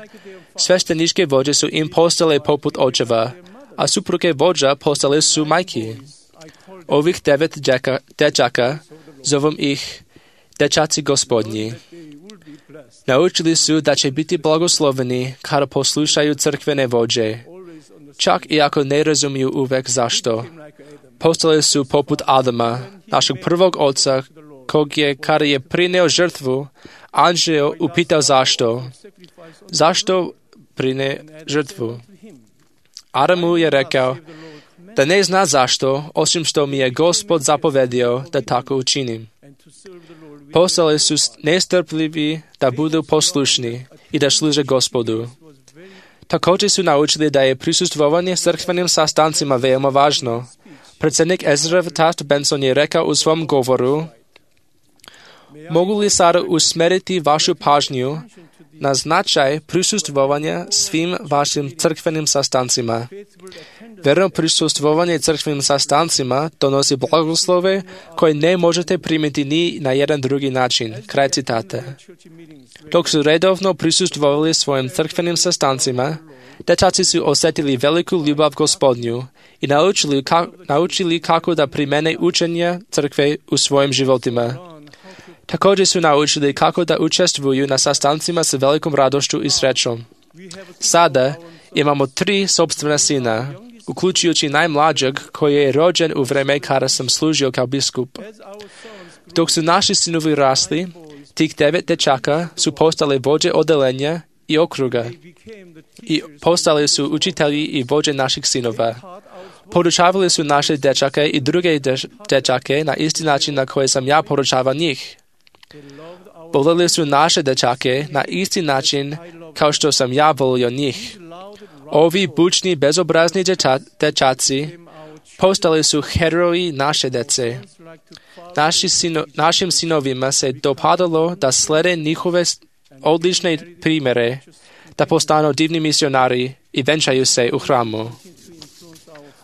Speaker 6: svešteničke vođe su im postale poput očeva, a supruge vođa postale su majki. Ovih devet džeka, dečaka, zovem ih dečaci Gospodnji. Naučili su da će biti blagosloveni kada poslušaju crkvene vođe, čak i ako ne razumiju uvek zašto. Postali su poput Adama, našeg prvog oca, kog je, kada je prineo žrtvu, anđeo upitao zašto. Zašto prine žrtvu? Adamu je rekao da ne zna zašto, osim što mi je Gospod zapovedio da tako učinim. Postali su nestrpljivi da budu poslušni i da služe Gospodu. Također su naučili da je prisustvovanje crkvenim sastancima veoma važno. Predsjednik Ezra Taft Benson je rekao u svom govoru: mogu li sada usmeriti vašu pažnju na značaj prisustvovanja svim vašim crkvenim sastancima? Verno prisustvovanje crkvenim sastancima donosi blagoslove koje ne možete primiti ni na jedan drugi način. Kraj citata. Dok su redovno prisustvovali svojim crkvenim sastancima, dečaci su osjetili veliku ljubav Gospodnju i naučili, ka, naučili kako da primene učenja crkve u svojim životima. Također su naučili kako da učestvuju na sastancima sa velikom radošću i srećom. Sada imamo tri sopstvena sina, uključujući najmlađeg koji je rođen u vreme kada sam služio kao biskup. Dok su naši sinovi rasli, tih devet dečaka su postali vođe odelenja i okruga i postali su učitelji i vođe naših sinova. Podučavali su naše dečake i druge dečake na isti način na koji sam ja podučavao njih. Volili su naše dečake na isti način kao što sam ja volio njih. Ovi bučni, bezobrazni deča, dečaci postali su heroji naše dece. Naši sino, našim sinovima se dopadalo da slede njihove odlične primjere, da postanu divni misionari i venčaju se u hramu.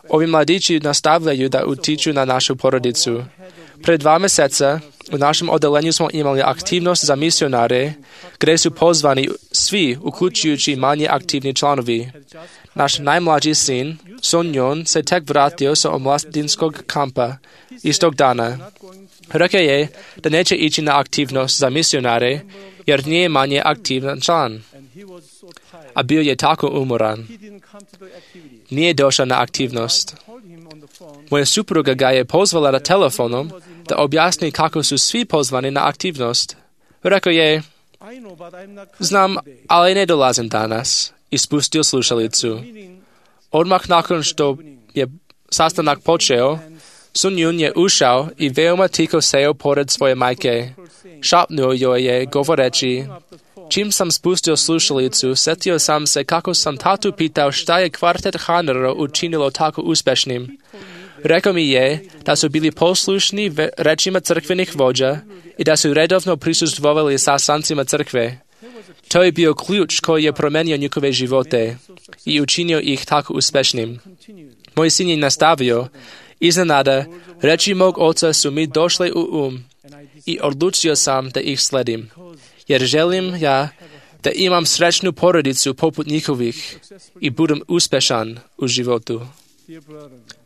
Speaker 6: Ovi mladići nastavljaju da utiču na našu porodicu. Pred dva mjeseca u našem odelenju smo imali aktivnost za misionare, gdje su pozvani svi, uključujući manje aktivni članovi. Naš najmlađi sin, Sonjon, se tek vratio sa omladinskog kampa istog dana. Rekao je da neće ići na aktivnost za misionare, jer nije manje aktivan član. A bio je tako umoran. Nije došao na aktivnost. Moja supruga ga je pozvala na telefonom da objasni kako su svi pozvani na aktivnost. Rekao je, znam, ali ne dolazim danas. I spustio slušalicu. Odmah nakon što je sastanak počeo, Sun Yun je ušao i veoma tiho seo pored svoje majke. Šapnuo joj je govoreći, čim sam spustio slušalicu, setio sam se kako sam tatu pitao šta je kvartet Hanero učinilo tako uspešnim. Rekao mi je da su bili poslušni rečima crkvenih vođa i da su redovno prisustvovali sastancima crkve. To je bio ključ koji je promenio njihove živote i učinio ih tako uspešnim. Moj sin je nastavio, iznenada, reči mog oca su mi došle u um i odlučio sam da ih sledim, jer želim ja da imam srećnu porodicu poput njihovih i budem uspešan u životu.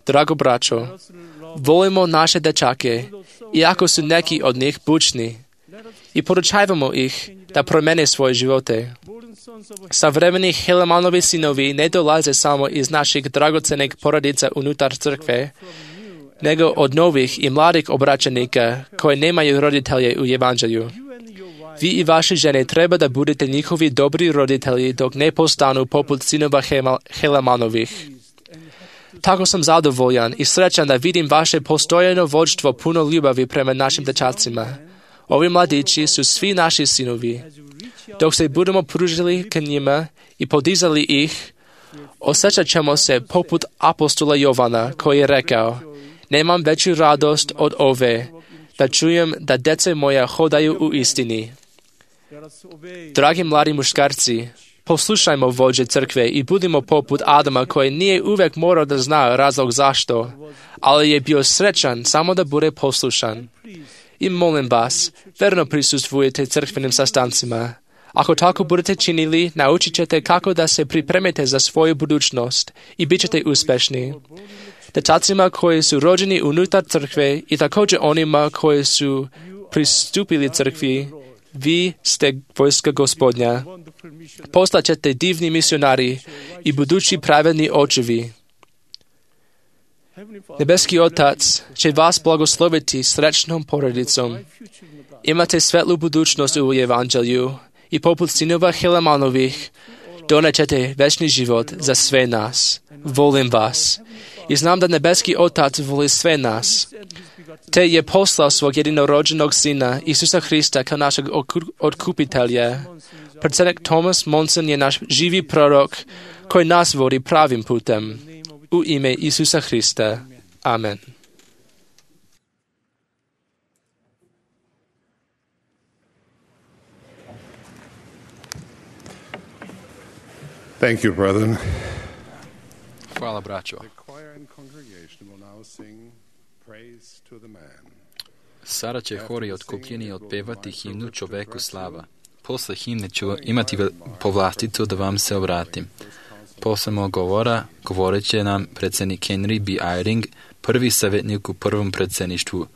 Speaker 6: Drago braćo, volimo naše dečake, iako su neki od njih bučni, i podučavamo ih da promene svoje živote. Savremeni Helemanovi sinovi ne dolaze samo iz naših dragocenih porodica unutar crkve, nego od novih i mladih obraćenika koji nemaju roditelje u evanđelju. Vi i vaše žene treba da budete njihovi dobri roditelji dok ne postanu poput sinova Helemanovih. Tako sam zadovoljan i srećan da vidim vaše postojano vođstvo puno ljubavi prema našim dečacima. Ovi mladići su svi naši sinovi. Dok se budemo pružili k njima i podizali ih, osjećat ćemo se poput apostola Jovana koji je rekao, nemam veću radost od ove, da čujem da dece moja hodaju u istini. Dragi mladi muškarci, poslušajmo vođe crkve i budimo poput Adama koji nije uvijek morao da zna razlog zašto, ali je bio srećan samo da bude poslušan. I molim vas, verno prisustvujete crkvenim sastancima. Ako tako budete činili, naučit ćete kako da se pripremite za svoju budućnost i bit ćete uspešni. Dečacima koji su rođeni unutar crkve i također onima koji su pristupili crkvi, vi ste vojska Gospodnja. Postaćete divni misionari i budući pravedni očevi. Nebeski Otac će vas blagosloviti srećnom porodicom. Imate svetlu budućnost u evanđelju i poput sinova Helemanovih donećete večni život za sve nas. Volim vas. I znam da nebeski Otac voli sve nas. Te je poslao svog jedinorođenog sina, Isusa Hrista, kao našeg otkupitelja. Predsjednik Thomas Monson je naš živi prorok koji nas vodi pravim putem. U ime Isusa Hrista. Amen.
Speaker 4: Thank you, brethren.
Speaker 2: Hvala, braćo. Sada će hori otkupljeni otpevati himnu Čoveku slava. Posle himne ću imati povlasticu da vam se obratim. Posle mog govora govorit će nam predsjednik Henry B. Eyring, prvi savjetnik u prvom predsjedništvu.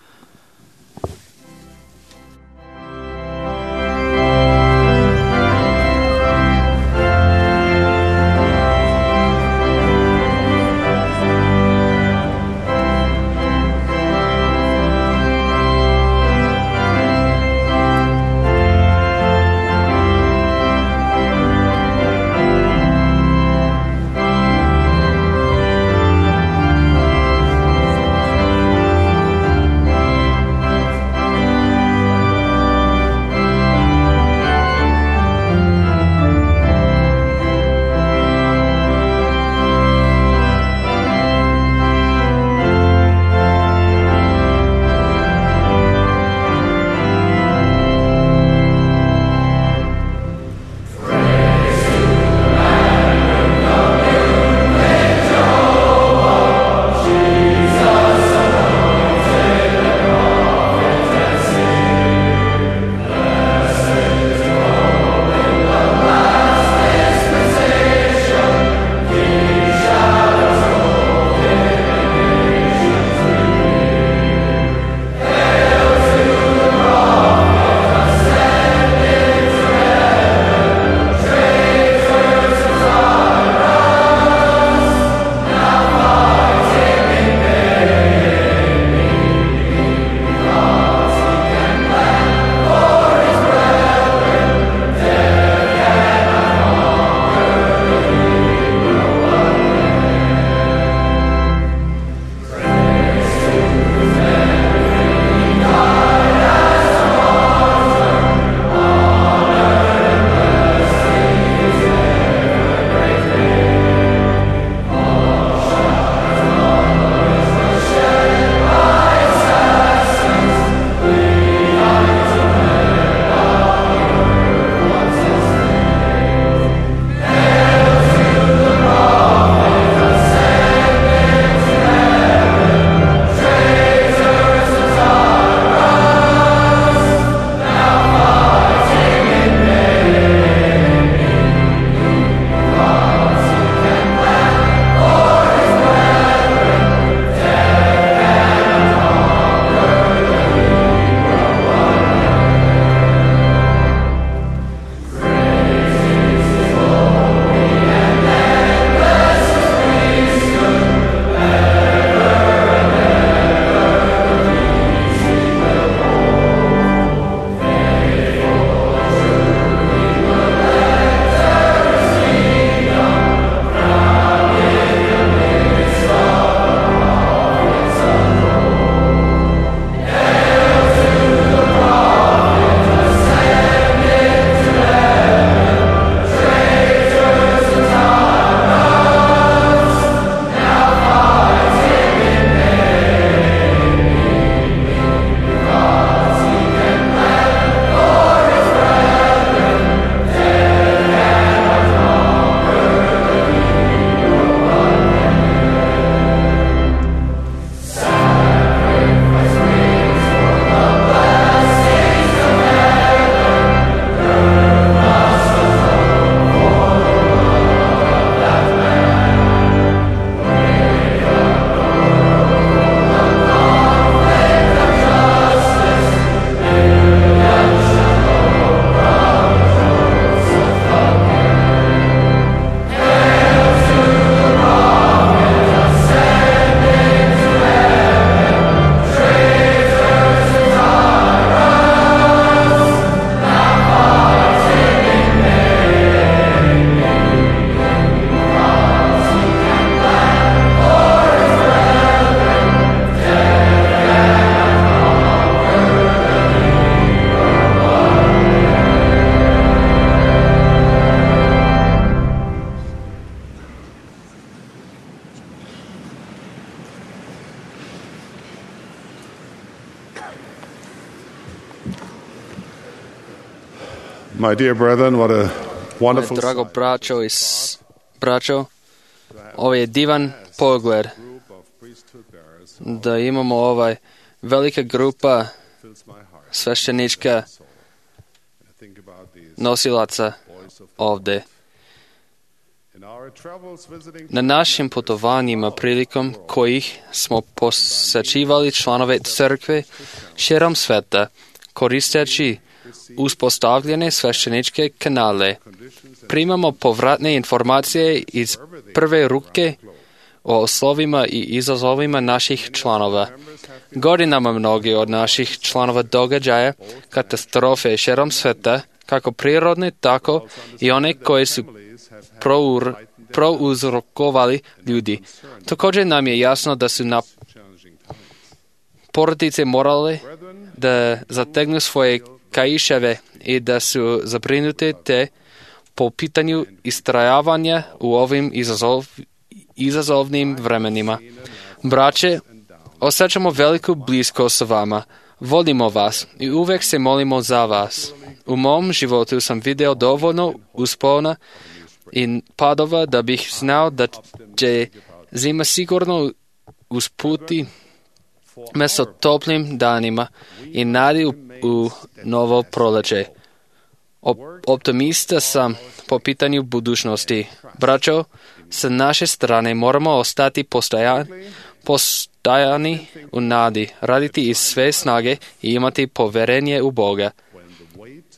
Speaker 4: My dear brethren, what a wonderful
Speaker 3: Drago
Speaker 4: sight.
Speaker 3: braćo i s- braćo, ovo je divan pogled da imamo ovaj velika grupa sveštenička nosilaca ovde. Na našim putovanjima prilikom kojih smo posećivali članove crkve širom sveta, koristeći uspostavljene svešteničke kanale, primamo povratne informacije iz prve ruke o oslovima i izazovima naših članova. Godinama mnogi od naših članova događaja katastrofe širom sveta, kako prirodne, tako i one koje su prour, prouzrokovali ljudi. Također nam je jasno da su na porodice morale da zategnu svoje kaiševe i da su zabrinute te po pitanju istrajavanja u ovim izazov, izazovnim vremenima. Braće, osjećamo veliku bliskost sa vama. Volimo vas i uvek se molimo za vas. U mom životu sam video dovoljno uspona i padova da bih znao da će zima sigurno usputi mesto toplim danima i nadi u, u novo proleće. Optimista sam po pitanju budućnosti. Braćo, sa naše strane moramo ostati postajan, postajani u nadi, raditi iz sve snage i imati poverenje u Boga.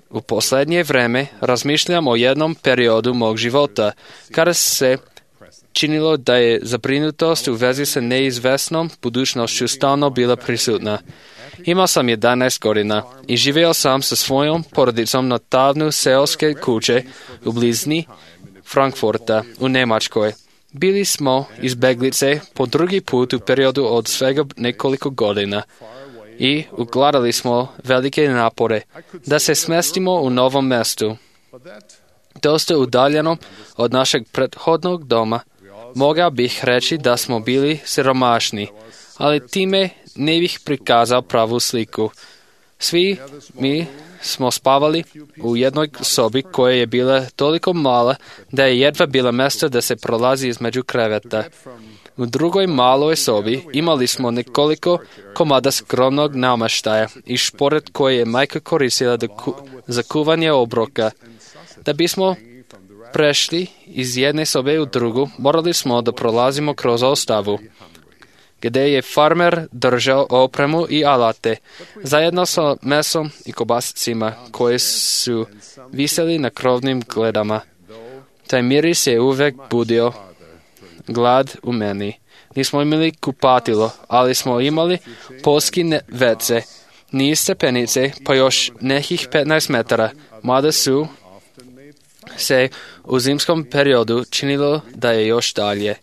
Speaker 3: U posljednje vreme razmišljam o jednom periodu mog života, kada se činilo da je zabrinutost u vezi sa neizvesnom budućnošću stalno bila prisutna. Imao sam jedanaest godina i živio sam sa svojom porodicom na tavnu seoske kuće u blizini Frankfurta u Njemačkoj. Bili smo izbeglice po drugi put u periodu od svega nekoliko godina i ukladali smo velike napore da se smestimo u novom mjestu. Dosta udaljeno od našeg prethodnog doma, mogao bih reći da smo bili siromašni, ali time ne bih prikazao pravu sliku. Svi mi smo spavali u jednoj sobi koja je bila toliko mala da je jedva bila mjesto da se prolazi između kreveta. U drugoj maloj sobi imali smo nekoliko komada skromnog namještaja i šporet koji je majka koristila ku, za kuvanje obroka. Da bismo prešli iz jedne sobe u drugu, morali smo da prolazimo kroz ostavu, gdje je farmer držao opremu i alate, zajedno sa mesom i kobasicima koje su viseli na krovnim gledama. Taj miris je uvek budio glad u meni. Nismo imali kupatilo, ali smo imali poljski vece, niz stepenice, pa još nekih petnaest metara, mada su se u zimskom periodu činilo da je još dalje.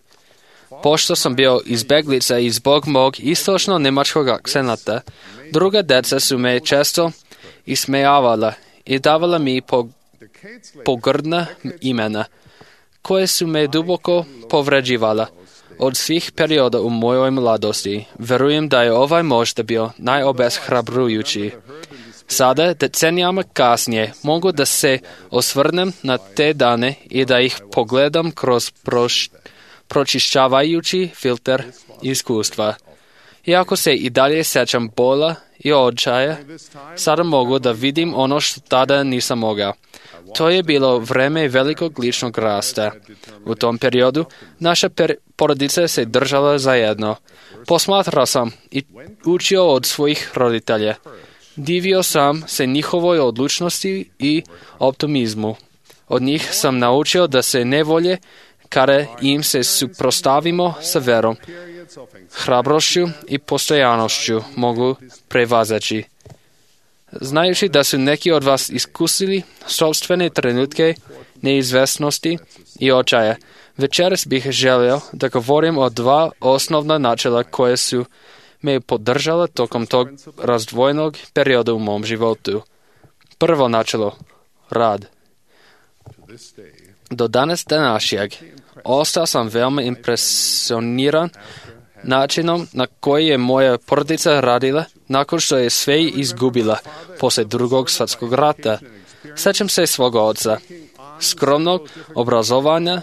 Speaker 3: Pošto sam bio izbeglica i zbog mog istočno-nemačkog akcenata, druga deca su me često ismejavala i davala mi pogrdna imena, koje su me duboko povređivala. Od svih perioda u mojoj mladosti, verujem da je ovaj možda bio najobeshrabrujući. Sada, decenijama kasnije, mogu da se osvrnem na te dane i da ih pogledam kroz proš, pročišćavajući filter iskustva. Iako se i dalje sjećam bola i očaja, sada mogu da vidim ono što tada nisam mogao. To je bilo vreme velikog ličnog rasta. U tom periodu naša per- porodica se držala zajedno. Posmatrao sam i učio od svojih roditelja. Divio sam se njihovoj odlučnosti i optimizmu. Od njih sam naučio da se nevolje, kada im se suprostavimo sa verom, hrabrošću i postojanošću mogu prevazaći. Znajući da su neki od vas iskusili sopstvene trenutke neizvesnosti i očaja, večeras bih želio da govorim o dva osnovna načela koje su me podržala tokom tog razdvojnog perioda u mom životu. Prvo načelo, rad. Do danas današnjeg ostao sam veoma impresioniran načinom na koji je moja porodica radila nakon što je sve izgubila poslije drugog svjetskog rata. Sećam se svoga oca, skromnog obrazovanja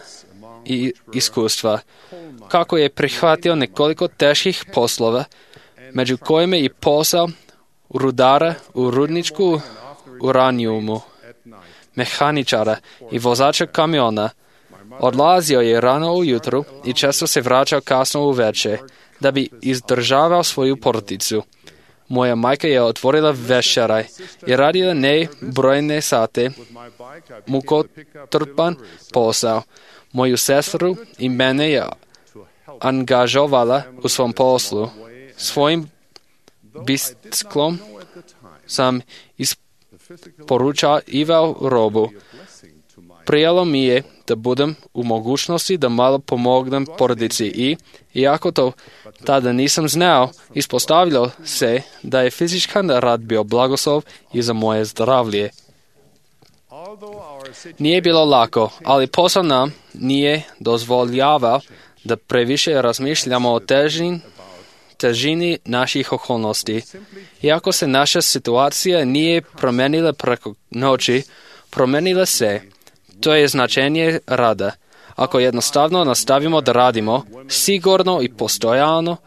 Speaker 3: i iskustva, kako je prihvatio nekoliko teških poslova, među kojima i posao rudara u rudničku uranijumu, mehaničara i vozača kamiona. Odlazio je rano ujutru i često se vraćao kasno uveče, da bi izdržavao svoju porodicu. Moja majka je otvorila večeraj i radila nebrojne sate, mukotrpan posao. Moju sestru i mene je angažovala u svom poslu. Svojim biciklom sam isporučavao robu. Prijalo mi je da budem u mogućnosti da malo pomognem porodici i, iako to tada nisam znao, ispostavilo se da je fizičkan rad bio blagoslov i za moje zdravlje. Nije bilo lako, ali posao nam nije dozvoljavao da previše razmišljamo o težini, težini naših okolnosti. Iako se naša situacija nije promenila preko noći, promenila se. To je značenje rada. Ako jednostavno nastavimo da radimo, sigurno i postojano,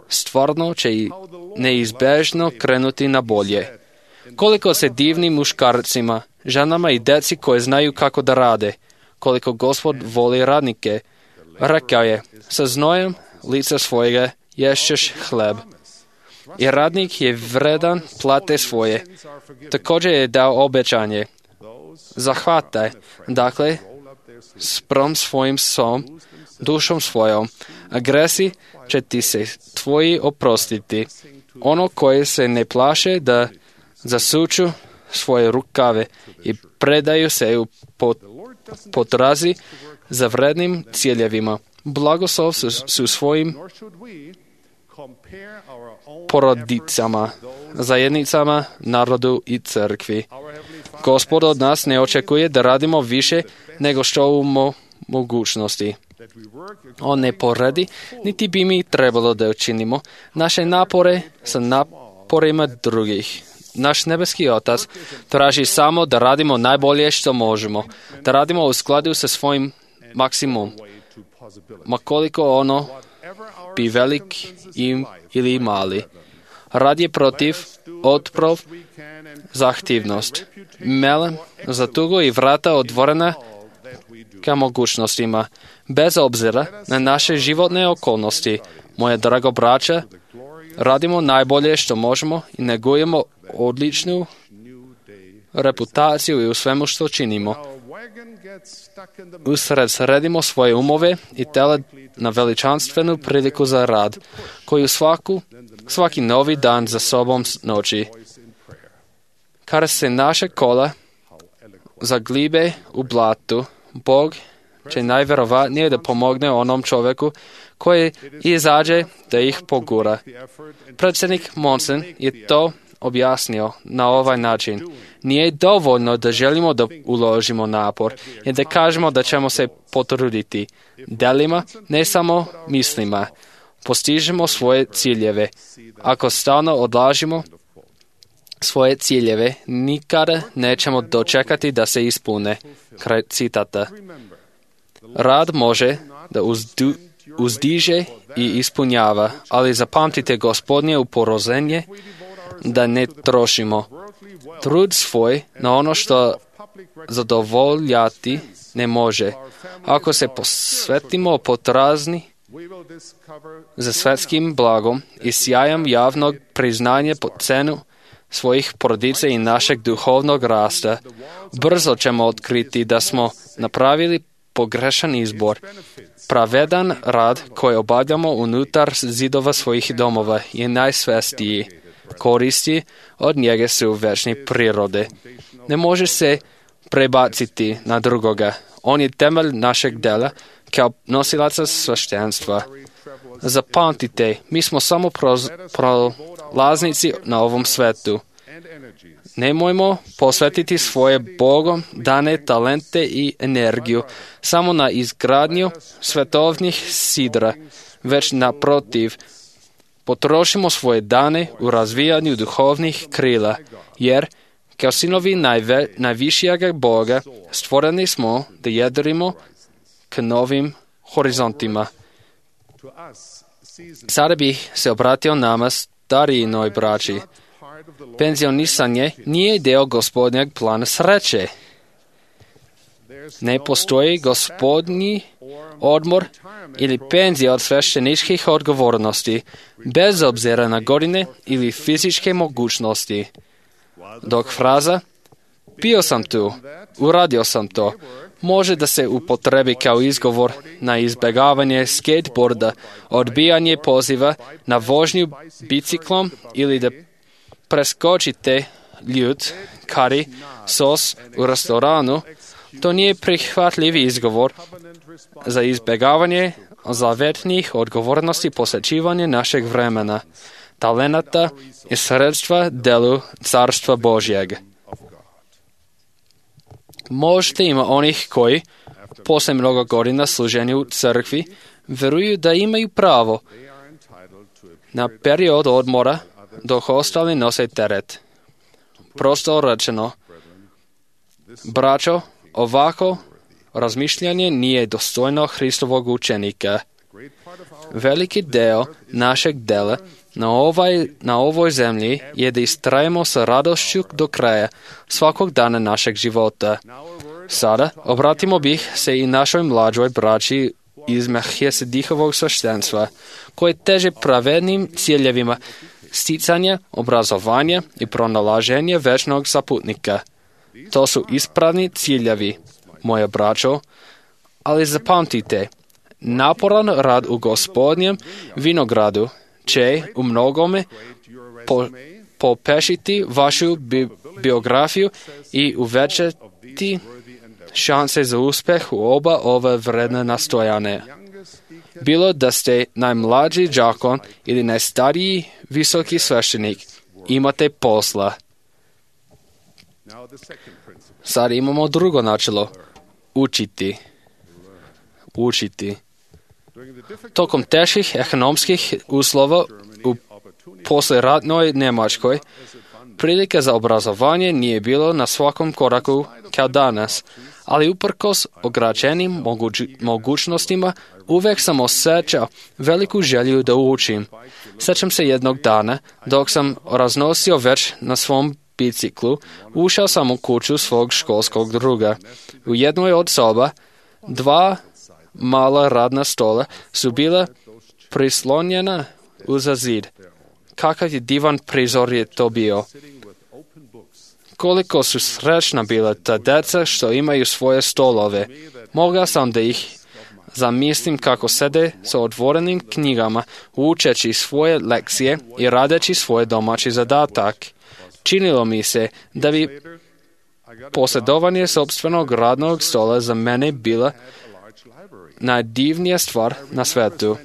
Speaker 3: stvarno će i neizbežno krenuti na bolje. Koliko se divnim muškarcima, ženama i deci koje znaju kako da rade, koliko Gospod voli radnike. Rekao je, sa znojem lica svojega ješćeš hleb. I radnik je vredan plate svoje. Također je dao obećanje. Zahvataj, dakle, sprom svojim som, dušom svojom. Agresi će ti se tvoji oprostiti. Ono koje se ne plaše da zasuču svoje rukave i predaju se u potrazi za vrednim ciljevima. Blagoslov su, su svojim porodicama, zajednicama, narodu i crkvi. Gospod od nas ne očekuje da radimo više nego što u mo- mogućnosti. On ne poredi, niti bi mi trebalo da učinimo naše napore sa naporima drugih. Naš nebeski Otac traži samo da radimo najbolje što možemo, da radimo u skladu sa svojim maksimum, makoliko ono bi velik im ili mali. Rad je protiv, otprov, zahtjevnost. Melem za tugo i vrata otvorena ka mogućnostima. Bez obzira na naše životne okolnosti, moje drago braća, radimo najbolje što možemo i negujemo odličnu reputaciju i u svemu što činimo. Usred sredimo svoje umove i tela na veličanstvenu priliku za rad, koju svaku, svaki novi dan za sobom noći. Kada se naše kola zaglibe u blatu, Bog će najvjerovatnije da pomogne onom čovjeku koji izađe da ih pogura. Predsjednik Monson je to objasnio na ovaj način. Nije dovoljno da želimo da uložimo napor i da kažemo da ćemo se potruditi. Delima, ne samo mislima. Postižemo svoje ciljeve. Ako stalno odlažimo svoje ciljeve, nikada nećemo dočekati da se ispune. Kraj citata. Rad može da uzdu, uzdiže i ispunjava, ali zapamtite Gospodnje uporozenje da ne trošimo trud svoj na ono što zadovoljati ne može. Ako se posvetimo potrazni za svetskim blagom i sjajem javnog priznanja po cenu svojih porodica i našeg duhovnog rasta, brzo ćemo otkriti da smo napravili pogrešan izbor. Pravedan rad koji obavljamo unutar zidova svojih domova je najsvestiji. Koristi od njega su večne prirode. Ne može se prebaciti na drugoga. On je temelj našeg dela kao nosilaca sveštenstva. Zapamtite, mi smo samo proz, prolaznici na ovom svetu. Nemojmo posvetiti svoje Bogom dane talente i energiju samo na izgradnju svetovnih sidra, već naprotiv, potrošimo svoje dane u razvijanju duhovnih krila, jer Kao sinovi najve, najvišijega Boga, stvoreni smo da jedrimo k novim horizontima. Sada bih se obratio nama starijinoj braći. Penzionisanje nije deo Gospodnjeg plana sreće. Ne postoji Gospodnji odmor ili penzija od svešteničkih odgovornosti, bez obzira na godine ili fizičke mogućnosti. Dok fraza bio sam tu, uradio sam to, može da se upotrebi kao izgovor na izbjegavanje skateboarda, odbijanje poziva na vožnju biciklom ili da preskočite ljud, kari, sos u restoranu, to nije prihvatljiv izgovor za izbjegavanje zavetnih odgovornosti posvećivanja našeg vremena, talenata i sredstva delu Carstva Božjeg. Možda ima onih koji, posle mnogo godina služenja u crkvi, veruju da imaju pravo na period odmora dok ostali nose teret. Prosto rečeno, braćo, ovako razmišljanje nije dostojno Hristovog učenika. Veliki deo našeg dela na, ovaj, na ovoj zemlji je da istrajemo sa radošću do kraja svakog dana našeg života. Sada obratimo bih se i našoj mlađoj braći iz Melhizedekhovog sveštenstva, koje teže pravednim ciljevima sticanja, obrazovanja i pronalaženja večnog saputnika. To su ispravni ciljevi, moje braćo, ali zapamtite, naporan rad u Gospodnjem vinogradu će u mnogome po, popešiti vašu bi, biografiju i uvećati šanse za uspeh u oba ove vredne nastojane. Bilo da ste najmlađi đakon ili najstariji visoki sveštenik, imate posla. Sad imamo drugo načelo. Učiti. Učiti. Tokom teških ekonomskih uslova u posleratnoj Njemačkoj, prilike za obrazovanje nije bilo na svakom koraku kao danas, ali uprkos ograničenim moguć- mogućnostima uvek sam osjećao veliku želju da učim. Sjećam se jednog dana, dok sam raznosio već na svom biciklu, ušao sam u kuću svog školskog druga. U jednoj od soba dva mala radna stola su bila prislonjena uza zid. Kakav je divan prizor je to bio. Koliko su srećna bila ta deca što imaju svoje stolove. Mogao sam da ih zamislim kako sede sa otvorenim knjigama, učeći svoje lekcije i radeći svoj domaći zadatak. Činilo mi se da bi posjedovanje sopstvenog radnog stola za mene bila najdivnija stvar na svetu.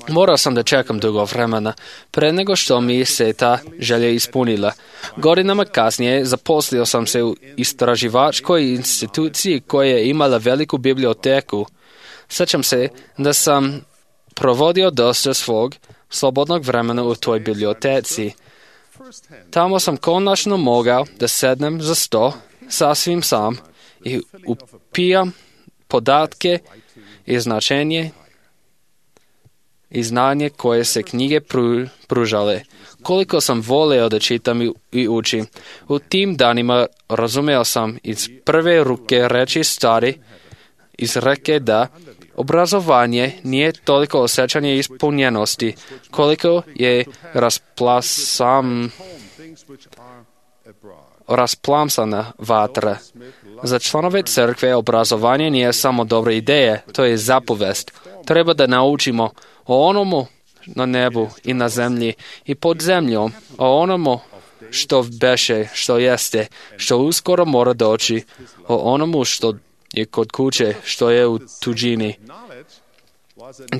Speaker 3: Morao sam da čekam dugo vremena, pre nego što mi se ta želja ispunila. Godinama kasnije zaposlio sam se u istraživačkoj instituciji koja je imala veliku biblioteku. Sjećam se da sam provodio dosta svog slobodnog vremena u toj biblioteci. Tamo sam konačno mogao da sednem za sto sasvim sam i upijam podatke i značenje i znanje koje se knjige pru, pružale. Koliko sam voleo da čitam i, i učim. U tim danima razumeo sam iz prve ruke reči stari izreke da obrazovanje nije toliko osjećanje ispunjenosti, koliko je rasplasam, rasplamsana vatra. Za članove crkve obrazovanje nije samo dobra ideja, to je zapovest. Treba da naučimo o onomu na nebu i na zemlji i pod zemljom, o onomu što beše, što jeste, što uskoro mora doći, o onomu što je kod kuće, što je u tuđini.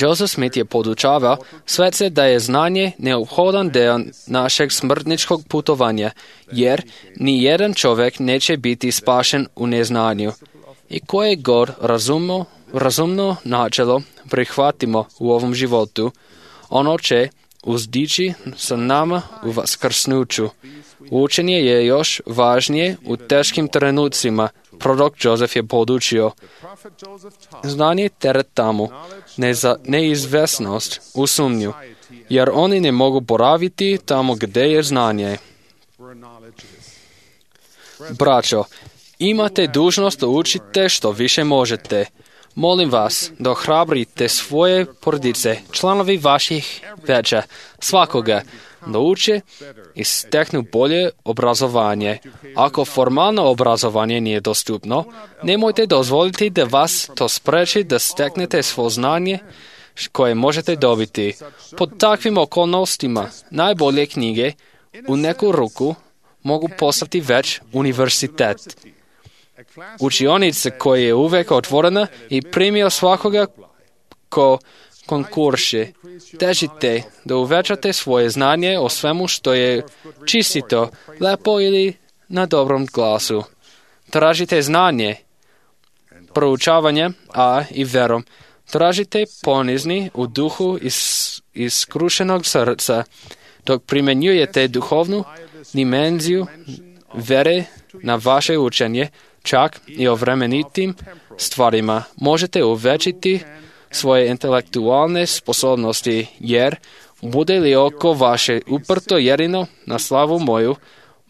Speaker 3: Joseph Smith je podučavao svece da je znanje neophodan deo našeg smrtničkog putovanja, jer ni jedan čovjek neće biti spašen u neznanju. I koje god razumno, razumno načelo prihvatimo u ovom životu, ono će uzdići sa nama u vaskrsnuću. Učenje je još važnije u teškim trenucima. Prorok Jozef je podučio. Znanje teret tamo, neza, neizvesnost u sumnju, jer oni ne mogu boraviti tamo gdje je znanje. Braćo, imate dužnost da učite što više možete. Molim vas da ohrabrite svoje porodice, članovi vaših veća, svakoga, da uče i steknu bolje obrazovanje. Ako formalno obrazovanje nije dostupno, nemojte dozvoliti da vas to spreči da steknete svo znanje koje možete dobiti. Pod takvim okolnostima najbolje knjige u neku ruku mogu postati već univerzitet. Učionica koja je uvek otvorena i primio svakoga ko konkurše. Težite da uvećate svoje znanje o svemu što je čistito, lepo ili na dobrom glasu. Tražite znanje, proučavanje, a i verom. Tražite ponizni u duhu iz, iz skrušenog srca, dok primjenjujete duhovnu dimenziju vere na vaše učenje, čak i o vremenitim stvarima. Možete uvećiti svoje intelektualne sposobnosti, jer bude li oko vaše uprto jedino na slavu moju,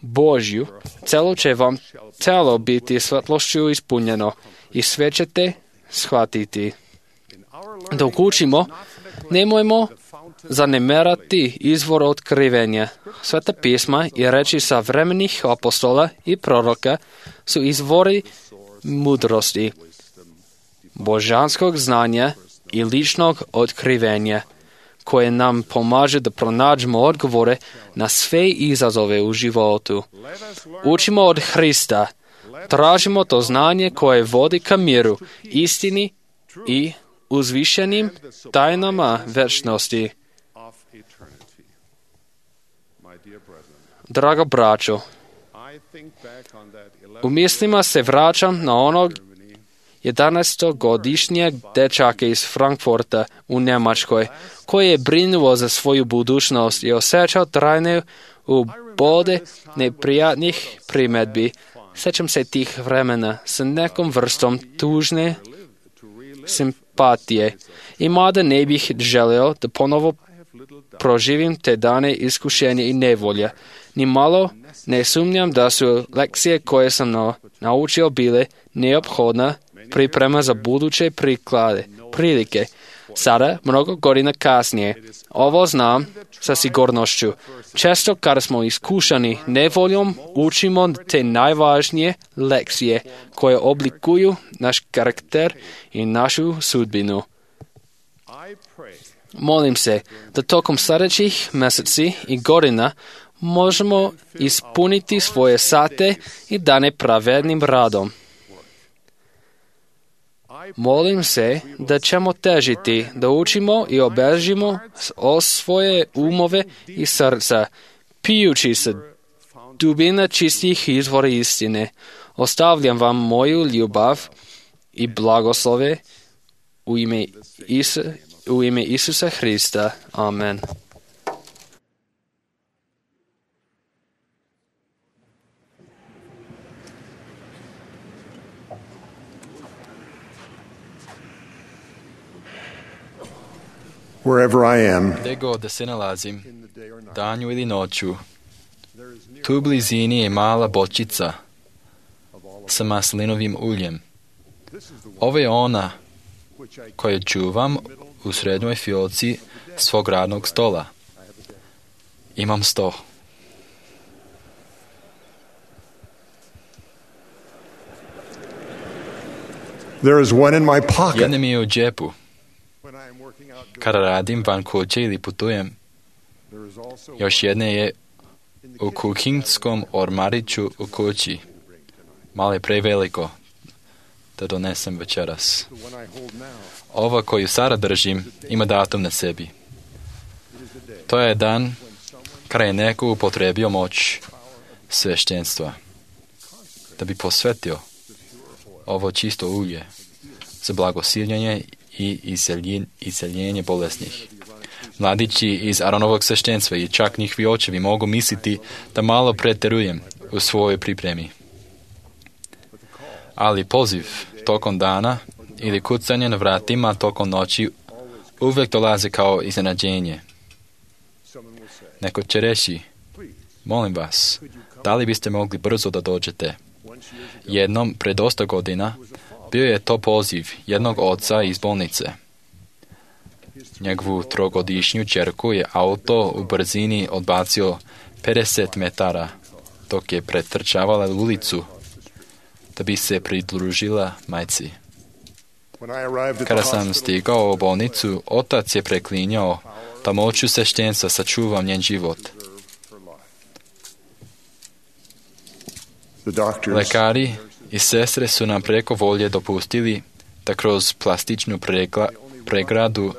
Speaker 3: Božju, celo će vam telo biti svetlošću ispunjeno i sve ćete shvatiti. Dok učimo, nemojmo zanemarati izvor otkrivenja. Sveta pisma i reči savremenih apostola i proroka su izvori mudrosti, božanskog znanja i ličnog otkrivenja, koje nam pomaže da pronađemo odgovore na sve izazove u životu. Učimo od Hrista, tražimo to znanje koje vodi ka miru, istini i uzvišenim tajnama večnosti. Drago braćo, u mislima se vraćam na onog jedanaestogodišnjeg dečaka iz Frankfurta u Njemačkoj, koji je brinuo za svoju budućnost i osjećao trajne ubode neprijatnih primjedbi. Sjećam se tih vremena sa nekom vrstom tužne simpatije. I mada ne bih želeo da ponovo proživim te dane iskušenja i nevolja. Ni malo ne sumnjam da su lekcije koje sam na, naučio bile neophodna priprema za buduće priklade, prilike. Sada, mnogo godina kasnije, ovo znam sa sigurnošću. Često kada smo iskušani nevoljom, učimo te najvažnije lekcije koje oblikuju naš karakter i našu sudbinu. Molim se da tokom sljedećih mjeseci i godina možemo ispuniti svoje sate i dane pravednim radom. Molim se da ćemo težiti da učimo i obežimo o svoje umove i srca, pijući se dubina čistih izvora istine. Ostavljam vam moju ljubav i blagoslove u ime, Isu, u ime Isusa Hrista. Amen.
Speaker 4: Wherever I am,
Speaker 2: gdje god da se nalazim, danju ili noću, tu u blizini je mala bočica sa maslinovim uljem. Ovo je ona koju čuvam u srednjoj fiolci svog radnog stola. Imam sto.
Speaker 4: there is one in my pocket.
Speaker 2: Jedna mi je u džepu. Kada radim van kuće ili putujem, još jedna je u kuhinskom ormariću u kući. Malo je preveliko da donesem večeras. Ova koju sada držim ima datum na sebi. To je dan kada je neko upotrebio moć sveštenstva da bi posvetio ovo čisto ulje za blagosiljenje i iseljenje bolesnih. Mladići iz Aronovog sveštenstva i čak njihovi očevi mogu misliti da malo preterujem u svojoj pripremi. Ali poziv tokom dana ili kucanje na vratima tokom noći uvijek dolazi kao iznenađenje. Neko će reći, molim vas, da li biste mogli brzo da dođete? Jednom, pred dosta godina, bio je to poziv jednog oca iz bolnice. Njegovu trogodišnju ćerku je auto u brzini odbacio pedeset metara, dok je pretrčavala ulicu da bi se pridružila majci. Kada sam stigao u bolnicu, otac je preklinjao da moću sveštenstva sačuvam njen život. Lekari i sestre su nam preko volje dopustili da kroz plastičnu pregla, pregradu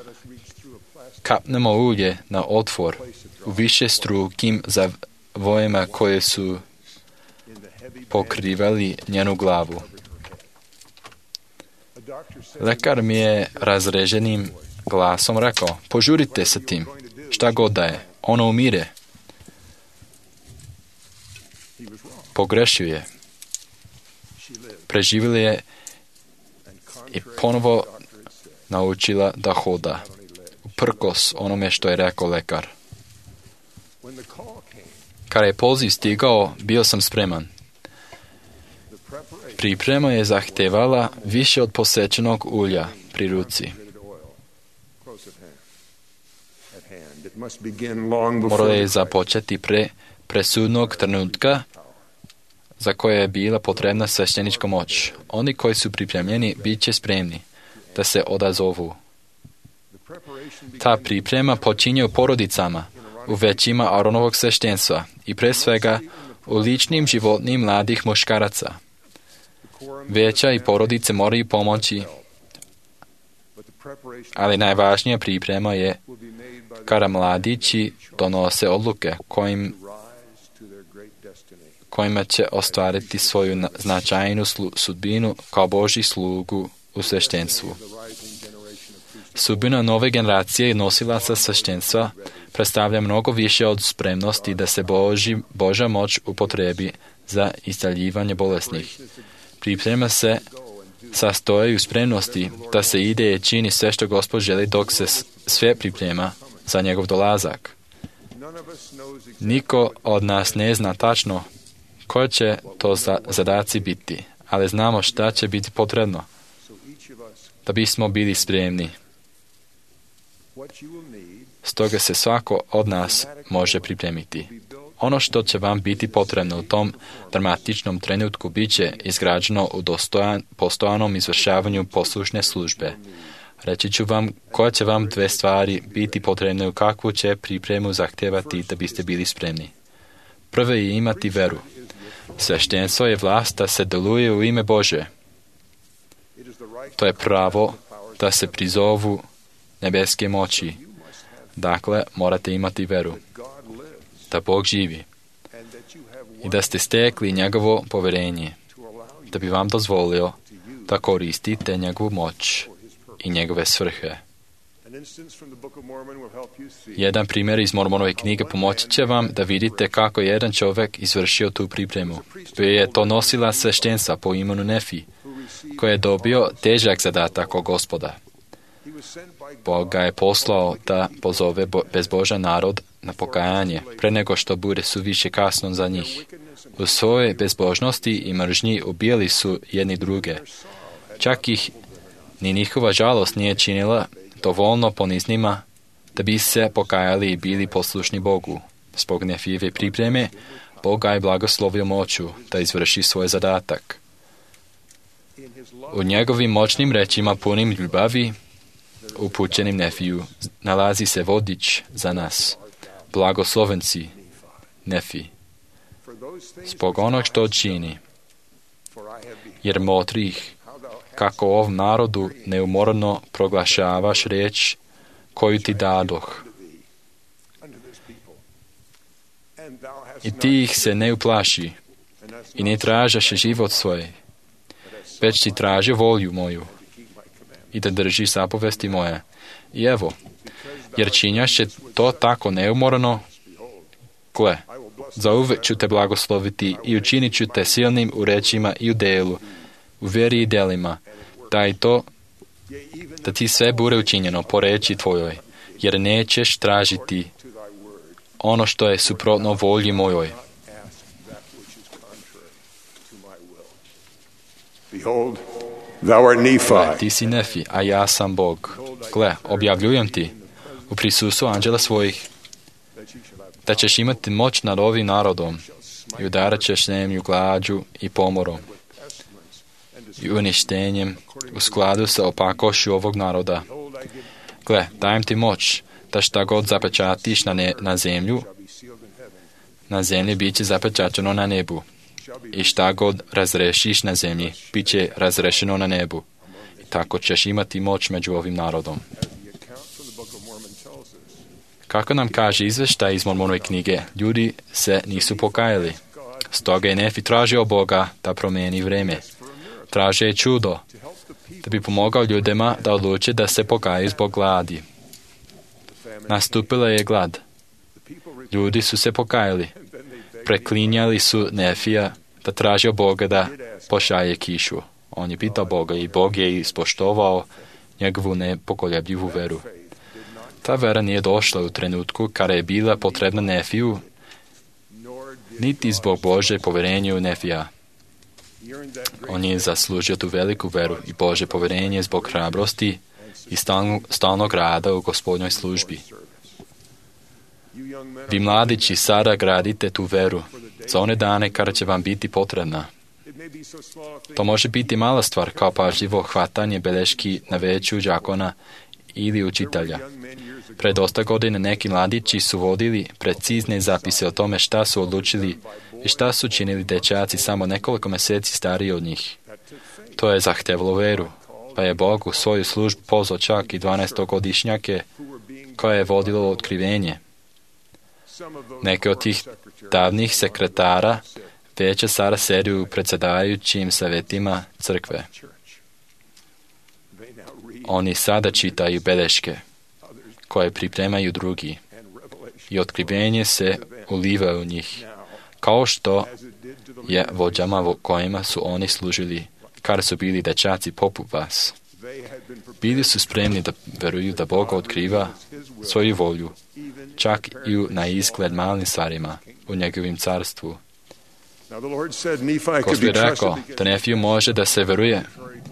Speaker 2: kapnemo ulje na otvor u više strukim zavojima koje su pokrivali njenu glavu. Lekar mi je razreženim glasom rekao, požurite sa tim, šta god da je, ono umire. Pogrešio je. Preživjela je i ponovo naučila da hoda, uprkos onome što je rekao lekar. Kada je poziv stigao, bio sam spreman. Priprema je zahtevala više od posvećenog ulja pri ruci. Morala je započeti pre presudnog trenutka za koje je bila potrebna sveštenička moć. Oni koji su pripremljeni bit će spremni da se odazovu. Ta priprema počinje u porodicama, u većima Aronovog sveštenstva i pre svega u ličnim životnim mladih muškaraca. Veća i porodice moraju pomoći, ali najvažnija priprema je kada mladići donose odluke kojim, kojima će ostvariti svoju značajnu slu, sudbinu kao Božji slugu u sveštenstvu. Sudbina nove generacije nosilaca sveštenstva predstavlja mnogo više od spremnosti da se Boži, Božja moć upotrebi za isceljivanje bolesnih. Priprema se sastoji u spremnosti da se ide i čini sve što Gospod želi dok se sve priprema za njegov dolazak. Niko od nas ne zna tačno koji će to zadaci biti, ali znamo šta će biti potrebno da bismo bili spremni. Stoga se svako od nas može pripremiti. Ono što će vam biti potrebno u tom dramatičnom trenutku bit će izgrađeno u dostojan, postojanom izvršavanju poslušne službe. Reći ću vam koje će vam dve stvari biti potrebne u kakvu će pripremu zahtevati da biste bili spremni. Prvo je imati veru. Sveštenstvo je vlast da se deluje u ime Bože. To je pravo da se prizovu nebeske moći. Dakle, morate imati veru da Bog živi i da ste stekli njegovo poverenje, da bi vam dozvolio da koristite njegovu moć i njegove svrhe. Jedan primjer iz Mormonove knjige pomoći će vam da vidite kako je jedan čovjek izvršio tu pripremu. Bio je to nosila sveštenstva po imenu Nefi, koji je dobio težak zadatak od Gospoda. Bog ga je poslao da pozove bezbožan narod na pokajanje, pre nego što bude suviše kasno za njih. U svojoj bezbožnosti i mržnji ubijali su jedni druge. Čak ih ni njihova žalost nije činila dovoljno poniznima da bi se pokajali i bili poslušni Bogu. Zbog Nefijeve pripreme, Bog ga je blagoslovio moću da izvrši svoj zadatak. U njegovim moćnim rečima punim ljubavi, upućenim Nefiju, nalazi se vodič za nas. Blagoslovenci, Nefi. Zbog onog što čini, jer motrih, kako ovom narodu neumorno proglašavaš riječ koju ti dadoh. I ti ih se ne uplaši i ne tražaš život svoj, već ti traži volju moju i da drži zapovesti moje. I evo, jer činjaše to tako neumorno, gle, zauvek ću te blagosloviti i učinit ću te silnim u rečima i u delu, u vjeri i delima, da i to, da ti sve bude učinjeno po reči tvojoj, jer nećeš tražiti ono što je suprotno volji mojoj.
Speaker 4: Behold, thou art
Speaker 2: Gle,
Speaker 4: Nephi.
Speaker 2: ti si Nefi, a ja sam Bog. Gle, objavljujem ti u prisustvu anđela svojih da ćeš imati moć nad ovim narodom i udarat ćeš zemlju glađu i pomorom i uništenjem u skladu sa opakošću ovog naroda. Gle, dajem ti moć da šta god zapečatiš na, ne, na zemlju, na zemlji bit će zapečačeno na nebu. I šta god razrešiš na zemlji, bit će razrešeno na nebu. I tako ćeš imati moć među ovim narodom. Kako nam kaže izveštaj iz Mormonove knjige, ljudi se nisu pokajali. Stoga je Nefi tražio Boga da promijeni vreme. Tražio je čudo, da bi pomogao ljudima da odluče da se pokaju zbog gladi. Nastupila je glad. Ljudi su se pokajali. Preklinjali su Nefija da tražio Boga da pošalje kišu. On je pitao Boga i Bog je ispoštovao njegovu nepokolebljivu veru. Ta vera nije došla u trenutku kada je bila potrebna Nefiju, niti zbog Bože povjerenja u Nefija. On je zaslužio tu veliku veru i Bože povjerenje zbog hrabrosti i stalnog, stalnog rada u Gospodnjoj službi. Vi mladići sada gradite tu veru za one dane kada će vam biti potrebna. To može biti mala stvar kao pažljivo hvatanje beleški na veću đakona ili učitelja. Pred dosta godine neki mladići su vodili precizne zapise o tome šta su odlučili i šta su činili dečaci samo nekoliko mjeseci stariji od njih. To je zahtevalo veru, pa je Bog u svoju službu pozvao čak i dvanaestogodišnjake koje je vodilo otkrivenje. Neke od tih davnih sekretara već sada sedi u predsjedavajućim savjetima crkve. Oni sada čitaju beleške koje pripremaju drugi i otkrivenje se uliva u njih, kao što je vođama kojima su oni služili kada su bili dečaci poput vas. Bili su spremni da veruju da Bog otkriva svoju volju, čak i na izgled malim stvarima u njegovim carstvu. Gospod je rekao da Nefiju može da se veruje,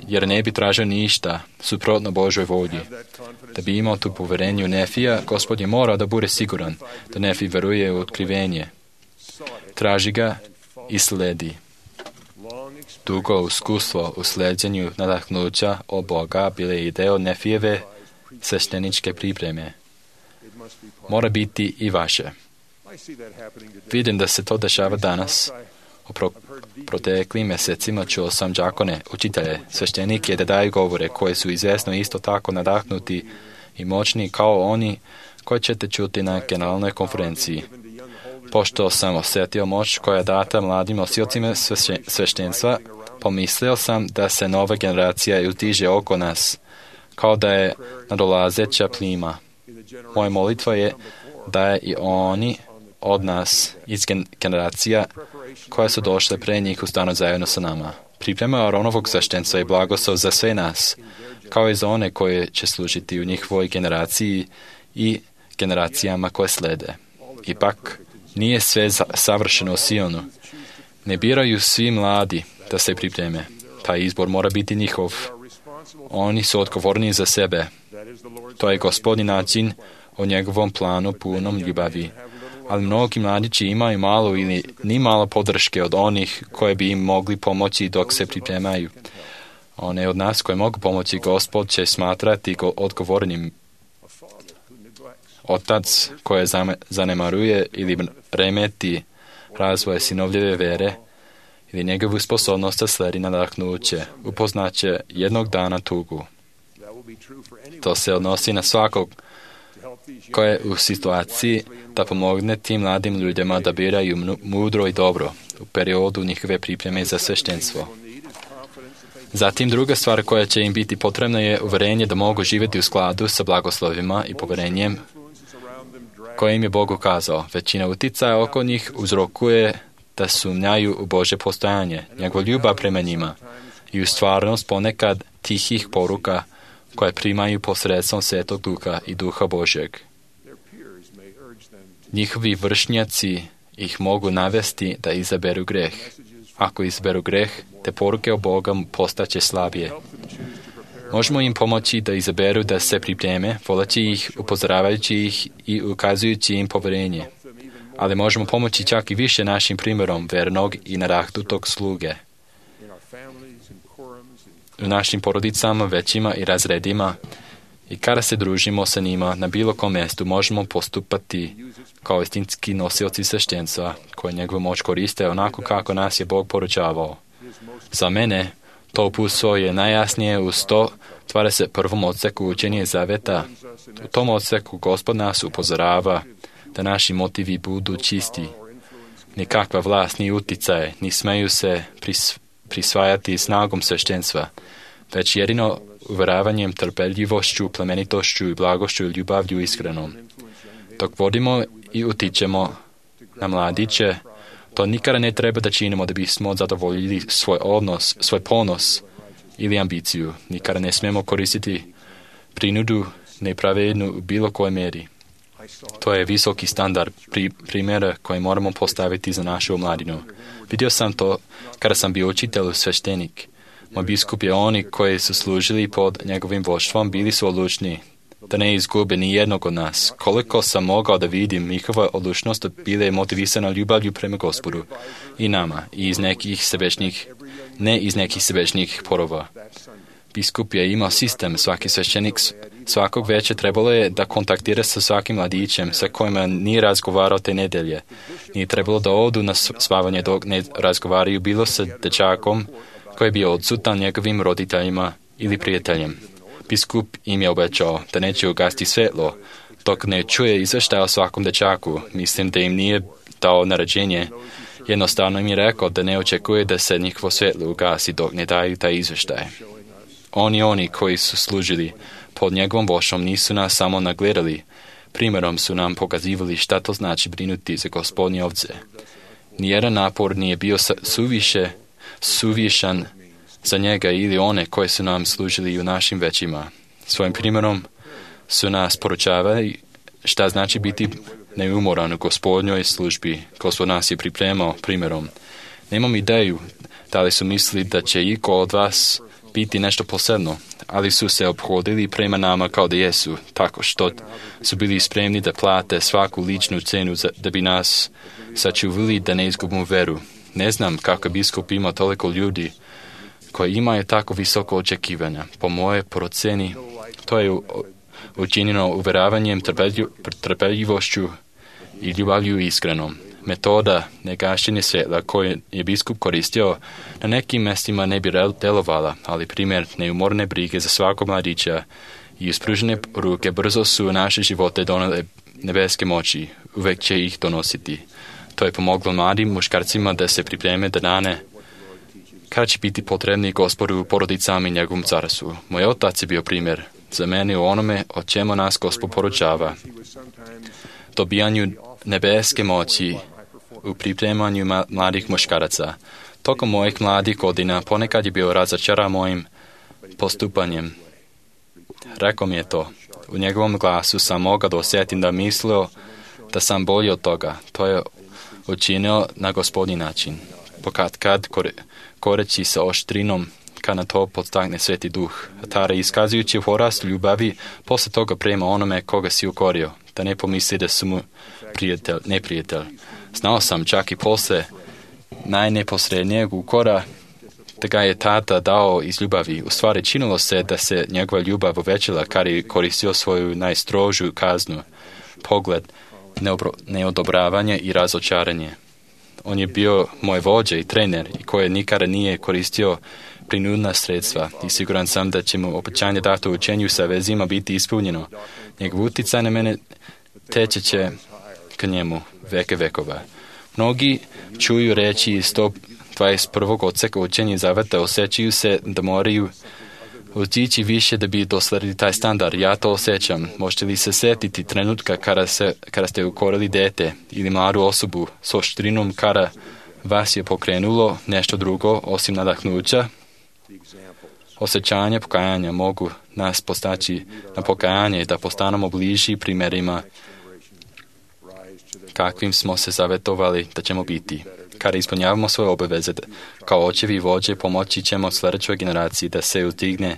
Speaker 2: jer ne bi tražio ništa suprotno Božoj volji. Da bi imao tu povjerenje u Nefija, Gospod je morao da bude siguran da Nefi veruje u otkrivenje. Traži ga i sledi. Dugo iskustvo u sleđenju nadahnuća od Boga bile i deo Nefijeve svešteničke pripreme. Mora biti i vaše. Vidim da se to dešava danas. U pro, proteklim mjesecima čuo sam đakone, učitelje, sveštenike da daju govore koje su izvjesno isto tako nadahnuti i moćni kao oni koji ćete čuti na generalnoj konferenciji. Pošto sam osjetio moć koja je data mladim nosiocima sveštenstva, pomislio sam da se nova generacija uzdiže oko nas, kao da je nadolazeća plima. Moja molitva je da je i oni od nas iz generacija koje su došle pre njih ustanu zajedno sa nama. Priprema Aronovog sveštenstva i blagoslov za sve nas, kao i za one koje će služiti u njihovoj generaciji i generacijama koje slede. Ipak, nije sve savršeno u Sionu. Ne biraju svi mladi da se pripreme. Taj izbor mora biti njihov. Oni su odgovorni za sebe. To je Gospodin način o njegovom planu punom ljubavi. Ali mnogi mladići imaju malo ili ni malo podrške od onih koje bi im mogli pomoći dok se pripremaju. One od nas koje mogu pomoći Gospod će smatrati go odgovornim. Otac koje zanemaruje ili remeti razvoj sinovljeve vere ili njegovu sposobnost da sledi nadahnuće, upoznaće jednog dana tugu. To se odnosi na svakog koje je u situaciji da pomogne tim mladim ljudima da biraju mudro i dobro u periodu njihove pripreme za sveštenstvo. Zatim druga stvar koja će im biti potrebna je uverenje da mogu živjeti u skladu sa blagoslovima i poverenjem koje im je Bog ukazao. Većina uticaja oko njih uzrokuje da sumnjaju u Božje postojanje, njegova ljubav prema njima i u stvarnost ponekad tihih poruka koje primaju posredstvom Svetog Duha i Duha Božjeg. Njihovi vršnjaci ih mogu navesti da izaberu greh. Ako izaberu greh, te poruke o Boga postaće slabije. Možemo im pomoći da izaberu da se pripreme, voleći ih, upozoravajući ih i ukazujući im poverenje. Ali možemo pomoći čak i više našim primjerom vernog i nadahnutog sluge. U našim porodicama, većima i razredima i kada se družimo sa njima na bilo kom mjestu, možemo postupati kao istinski nosioci sveštenstva koje njegovu moć koriste onako kako nas je Bog poručavao. Za mene to uputstvo je najjasnije u sto dvadeset prvom odseku učenja zaveta. U tom odseku Gospod nas upozorava da naši motivi budu čisti. Nikakva vlast ni uticaj ni smeju se pris, prisvajati snagom sveštenstva, već jedino uveravanjem, trpeljivošću, plemenitošću i blagošću i ljubavlju iskrenom. Dok vodimo i utičemo na mladiće, to nikada ne treba da činimo da bismo zadovoljili svoj odnos, svoj ponos ili ambiciju. Nikada ne smemo koristiti prinudu nepravednu u bilo kojoj mjeri. To je visoki standard pri, primjera koji moramo postaviti za našu omladinu. Vidio sam to kada sam bio učitelj sveštenik. Moj biskup je oni koji su služili pod njegovim vođstvom bili su odlučni da ne izgube ni jednog od nas. Koliko sam mogao da vidim, njihova odlučnost bila je motivisana ljubavlju prema Gospodu i nama, i iz nekih sebečnih, ne iz nekih sebečnih porova. Biskup je imao sistem, svaki sveštenik svakog veća trebalo je da kontaktira sa svakim mladićem sa kojima nije razgovarao te nedelje. Nije trebalo da odu na spavanje dok ne razgovaraju bilo sa dečakom koji je bio odsutan njegovim roditeljima ili prijateljem. Biskup im je obećao da neće ugasti svetlo dok ne čuje izveštaj o svakom dečaku. Mislim da im nije dao naređenje. Jednostavno im je rekao da ne očekuje da se njihovo svetlo ugasi dok ne daju taj izveštaj. Oni oni koji su služili pod njegovom vošom nisu nas samo nagledali, primjerom su nam pokazivali šta to znači brinuti za Gospodnje ovce. Nijedan napor nije bio suviše, suvišan za njega ili one koji su nam služili u našim većima. Svojim primjerom su nas poručavali šta znači biti neumoran u Gospodnjoj službi. Gospod nas je pripremao primjerom. Nemam ideju da li su mislili da će iko od vas biti nešto posebno, ali su se obhodili prema nama kao da jesu, tako što su bili spremni da plate svaku ličnu cenu za, da bi nas sačuvali da ne izgubimo veru. Ne znam kako biskup ima toliko ljudi koji imaju tako visoko očekivanja. Po moje proceni, to je učinjeno uveravanjem, trpeljivošću i ljubavlju iskrenom. Metoda negašenja svjetla koju je biskup koristio na nekim mjestima ne bi delovala, ali primjer neumorne brige za svakog mladića i ispružene ruke brzo su u naše živote donele nebeske moći, uvek će ih donositi. To je pomoglo mladim muškarcima da se pripreme da dane kada će biti potrebni Gospodu u porodicama i njegovom carstvu. Moj otac je bio primjer za mene u onome o čemu nas Gospod poručava. Dobijanju nebeske moći u pripremanju mladih muškaraca. Tokom mojih mladih godina ponekad je bio razočaran mojim postupanjem. Rekao mi je to. U njegovom glasu sam mogao da osjetim da mislio da sam bolji od toga. To je učinio na Gospodnji način. Pokad kad koreći sa oštrinom kad na to podstakne Sveti Duh. Tara iskazujući porast ljubavi posle toga prema onome koga si ukorio, da ne pomisli da su mu prijatelj, neprijatelj. Znao sam čak i posle najneposrednijeg ukora da ga je tata dao iz ljubavi. U stvari činilo se da se njegova ljubav uvećala kad je koristio svoju najstrožu kaznu, pogled, neodobravanje i razočaranje. On je bio moj vođa i trener i koji nikada nije koristio prinudna sredstva i siguran sam da će mu obećanje dato u učenju sa vezima biti ispunjeno. Njegov uticaj na mene teče će k njemu veke vekova. Mnogi čuju reći iz sto dvadeset prvog odseka učenja zaveta osjećaju se da moraju otići više da bi dosledili taj standard. Ja to osjećam. Možete li se sjetiti trenutka kada, se, kada ste ukorili dete ili mladu osobu s oštrinom kada vas je pokrenulo nešto drugo osim nadahnuća? Osjećanja pokajanja mogu nas postaći na pokajanje da postanemo bliži primjerima kakvim smo se zavetovali da ćemo biti. Kada ispunjavamo svoje obaveze kao očevi i vođe, pomoći ćemo sljedećoj generaciji da se uzdigne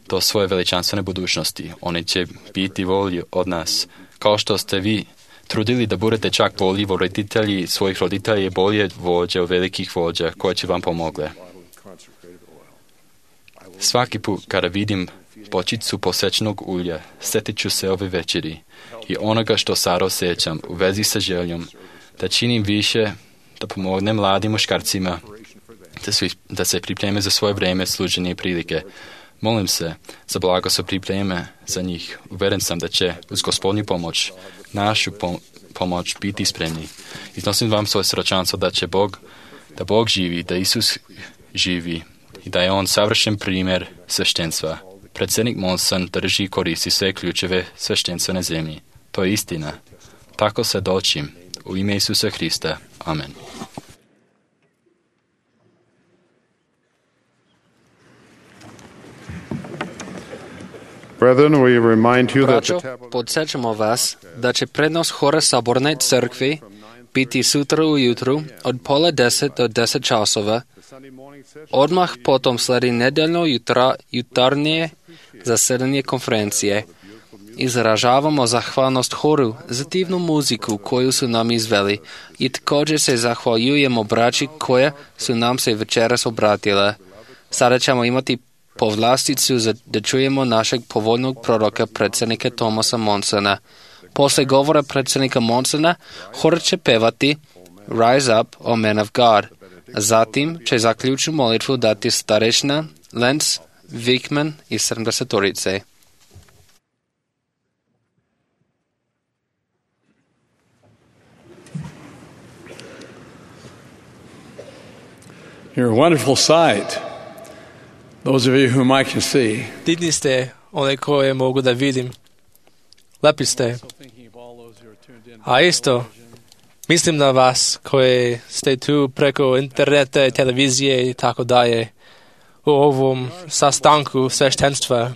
Speaker 2: do svoje veličanstvene budućnosti. Oni će biti volji od nas. Kao što ste vi trudili da budete čak bolji roditelji svojih roditelja i bolje vođe od velikih vođa koje će vam pomogle. Svaki put kada vidim bočicu posečnog ulja, sjetit ću se ove večeri i onoga što sad osjećam u vezi sa željom da činim više, da pomognem mladim muškarcima da, svi, da se pripreme za svoje vrijeme služenja i prilike. Molim se za blago se pripreme za njih. Uveren sam da će uz Gospodnju pomoć, našu pom- pomoć biti spremni. Iznosim vam svoje srčanstvo da će Bog, da Bog živi, da Isus živi i da je On savršen primjer sveštenstva. Predsjednik Monson drži i koristi sve ključeve sveštenstva na zemlji. To je istina. Tako se dočim. U ime Isusa Hrista. Amen.
Speaker 3: Braćo, podsjećamo vas da će prednost hora Saborne crkve biti sutra ujutru od pola deset do deset časova. Odmah potom sledi nedeljno jutra, jutarnje zasedanje konferencije. Izražavamo zahvalnost horu za divnu muziku koju su nam izveli i također se zahvaljujemo braći koja su nam se večeras obratila. Sada ćemo imati povlasticu za da čujemo našeg povoljnog proroka predsjednika Thomasa Monsona. Posle govora predsjednika Monsona hor će pevati Rise Up, O Man of God. Zatim će zaključnu molitvu dati starešina Lenz Wickman iz sedamdesetorice.
Speaker 5: You're a wonderful sight, those of you whom I can see.
Speaker 6: Divni ste, one koje mogu da vidim. Lepi ste. A isto, mislim na vas koji ste tu preko interneta, televizije i tako dalje. U ovom sastanku sveštenstva.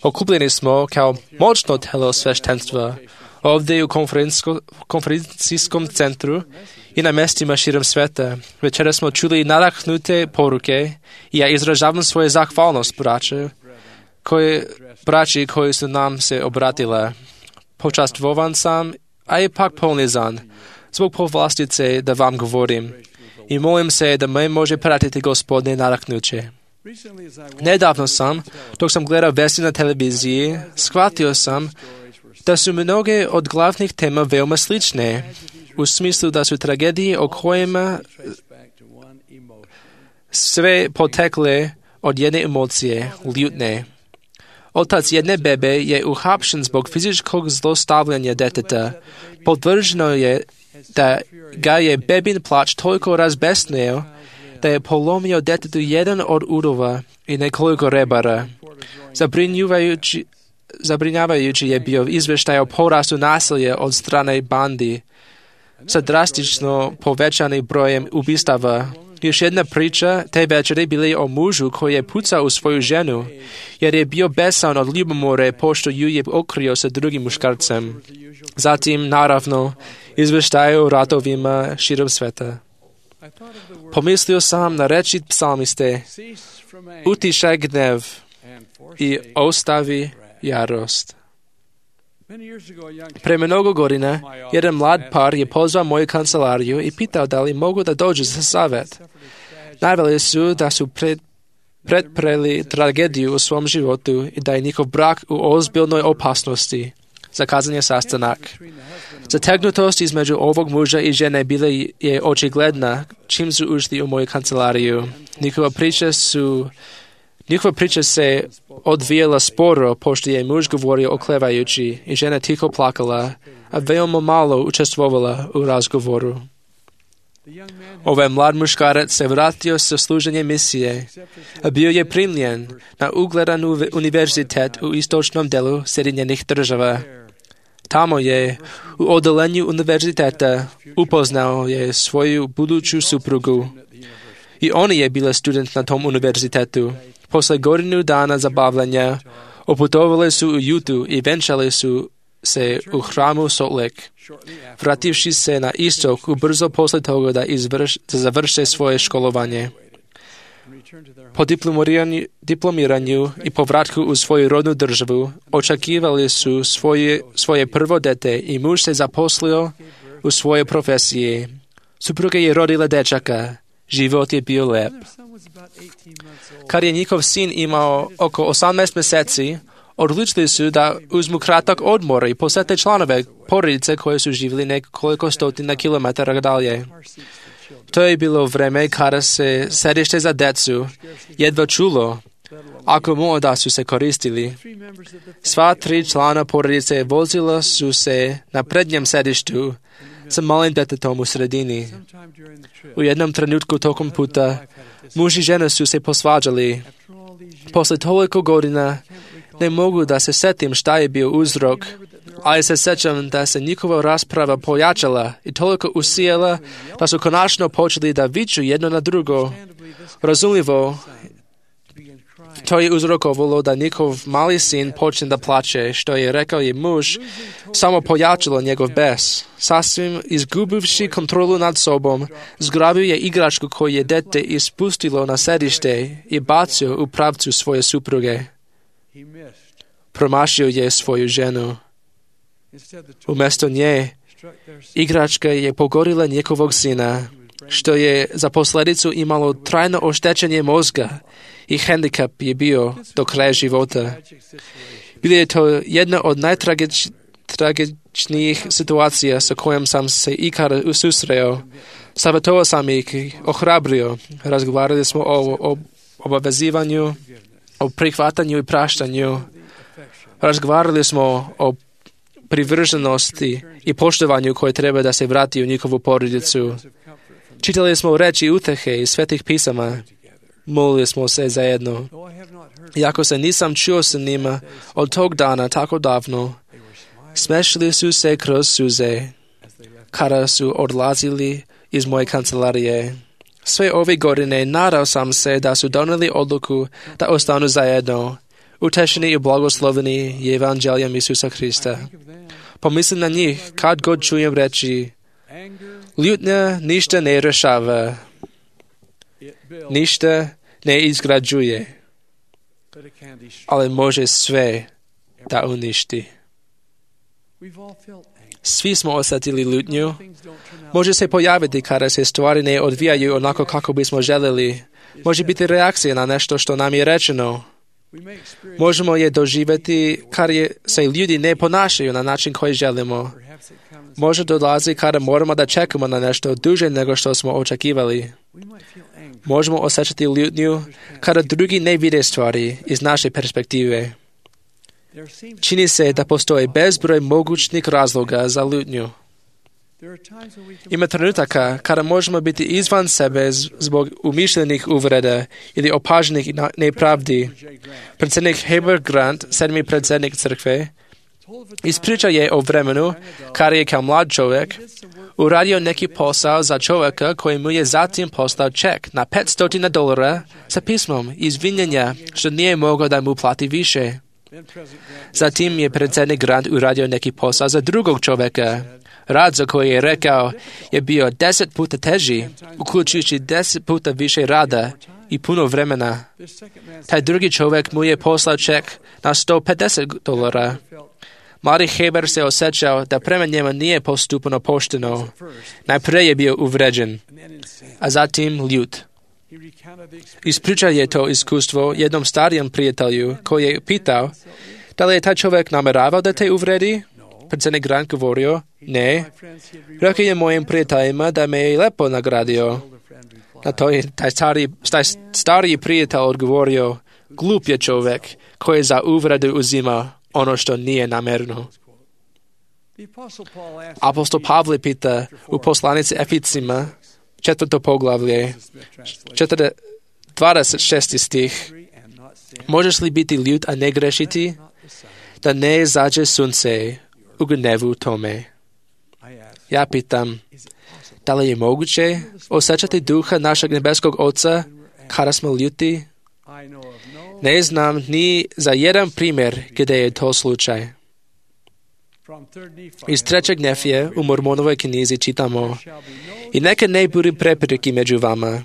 Speaker 6: Okupljeni smo kao moćno telo sveštenstva ovdje u konferencijskom centru i na mjestima širom sveta. Večera smo čuli nadahnute poruke i ja izražavam svoju zahvalnost braće, koji, braći koji su nam se obratila. Počastvovan sam, a ipak ponizan, zbog povlastice da vam govorim i molim se da me može pratiti Gospodine nadahnuće. Nedavno sam, dok sam gledao vesti na televiziji, shvatio sam da su mnoge od glavnih tema veoma slične, u smislu da su tragedije o kojima sve potekle od jedne emocije, ljutne. Otac jedne bebe je uhapšen zbog fizičkog zlostavljanja deteta. Potvrđeno je da ga je bebin plač toliko razbesnio da je polomio detetu jedan od udova i nekoliko rebara. Zabrinjavajući, zabrinjavajući je bio izvještaj o porastu nasilja od strane bandi sa drastično povećanim brojem ubistava. Još jedna priča te večeri bili o mužu koji je pucao u svoju ženu, jer je bio besan od ljubomore pošto ju je okrio sa drugim muškarcem. Zatim, naravno, izvještaj o ratovima širom sveta. Pomislio sam na reči psalmiste, utišaj gnev i ostavi jarost. Pre mnogo godina, jedan mlad par je pozvao moju kancelariju i pitao da li mogu da dođu za savjet. Naveli su da su pred, predpreli tragediju u svom životu i da je njihov brak u ozbiljnoj opasnosti. Zakazan je sastanak. Zategnutost između ovog muža i žene bila je očigledna čim su ušli u moju kancelariju. Njihova priča su Njihova priča se odvijela sporo, pošto je muž govorio oklevajući i žena tiho plakala, a veoma malo učestvovala u razgovoru. Ovaj mlad muškarac se vratio sa služenja misije, a bio je primljen na ugledan univerzitet u istočnom delu Sjedinjenih država. Tamo je, u odelenju univerziteta, upoznao je svoju buduću suprugu. I ona je bila student na tom univerzitetu. Posle godinu dana zabavljanja, oputovali su u Jutu i venčali su se u hramu Salt Lake. Vrativši se na istok, ubrzo posle toga da, izvrš, da završe svoje školovanje. Po diplomiranju, diplomiranju i povratku u svoju rodnu državu, očekivali su svoje, svoje prvo dete i muž se zaposlio u svojoj profesiji. Supruga je rodila dečaka. Život je bio lep. Kad je njihov sin imao oko osamnaest meseci, odlučili su da uzmu kratak odmor i posete članove porodice koje su živjeli nekoliko stotina kilometara dalje. To je bilo vreme kada se sedište za decu jedva čulo, ako mo da su se koristili. Sva tri člana porodice vozila su se na prednjem sedištu sa malim detetom u sredini. U jednom trenutku tokom puta muž i žena su se posvađali. Posle toliko godina ne mogu da se setim šta je bio uzrok, ali se sećam da se njihova rasprava pojačala i toliko usijela da su konačno počeli da viču jedno na drugo. Razumljivo, to je uzrokovalo da njihov mali sin počne da plače, što je rekao je muž, samo pojačalo njegov bes. Sasvim izgubivši kontrolu nad sobom, zgrabio je igračku koju je dete ispustilo na sedište i bacio u pravcu svoje supruge. Promašio je svoju ženu. Umjesto nje, igračka je pogodila njegovog sina, što je za posljedicu imalo trajno oštećenje mozga i hendikap je bio do kraja života. Bilo je to jedna od najtragičnijih situacija sa kojom sam se ikada susreo. Savjetovao sam ih, ohrabrio. Razgovarali smo o, o obavezivanju, o prihvatanju i praštanju. Razgovarali smo o privrženosti i poštovanju koje treba da se vrati u njihovu porodicu. Čitali smo reči utehe iz svetih pisama. Molili smo se zajedno. Iako se nisam čuo sa njima od tog dana tako davno, smešili su se kroz suze kada su odlazili iz moje kancelarije. Sve ove godine nadao sam se da su doneli odluku da ostanu zajedno, utešeni i blagosloveni evanđeljem Isusa Hrista. Pomislim na njih kad god čujem reći, ljutnja ništa ne rešava, ništa ne izgrađuje, ali može sve da uništi. Svi smo osjetili ljutnju. Može se pojaviti kada se stvari ne odvijaju onako kako bismo željeli. Može biti reakcija na nešto što nam je rečeno. Možemo je doživjeti kada se ljudi ne ponašaju na način koji želimo. Može dolazi kada moramo da čekamo na nešto duže nego što smo očekivali. Možemo osjećati ljutnju kada drugi ne vide stvari iz naše perspektive. Čini se da postoji bezbroj mogućnih razloga za ljutnju. Ima trenutaka kada možemo biti izvan sebe zbog umišljenih uvreda ili opaženih nepravdi. Predsjednik Heber Grant, sedmi predsjednik crkve, ispriča je o vremenu kada je kao mlad čovjek uradio neki posao za čovjeka koji mu je zatim poslao ček na petsto dolara sa pismom izvinjenja što nije mogao da mu plati više. Zatim je predsjednik Grant uradio neki posao za drugog čovjeka. Rad za koji je rekao je bio deset puta teži, uključujući deset puta više rada i puno vremena. Taj drugi čovjek mu je poslao ček na sto pedeset dolara. Mladi Heber se osjećao da prema njemu nije postupano pošteno. Najprije je bio uvređen, a zatim ljut. Ispričao je to iskustvo jednom starijem prijatelju koji je pitao da li je taj čovjek nameravao da te uvredi. Predsjednik Grant govorio, ne. Rekao je mojim prijateljima da me je lepo nagradio. Na to je taj stari, taj stari prijatelj odgovorio, glup je čovjek koji za uvredu uzima ono što nije namerno. Apostol Pavle pita u poslanici Eficima, četvrto poglavlje, dvadeset šesti stih. Možeš li biti ljut, a ne grešiti? Da ne izađe sunce u gnevu tome. Ja pitam, da li je moguće osjećati duha našeg nebeskog Oca kada smo ljuti? Ne znam ni za jedan primjer gdje je to slučaj. Iz trećeg Nefije u Mormonovoj knjizi čitamo: i neka ne bude prepirki među vama,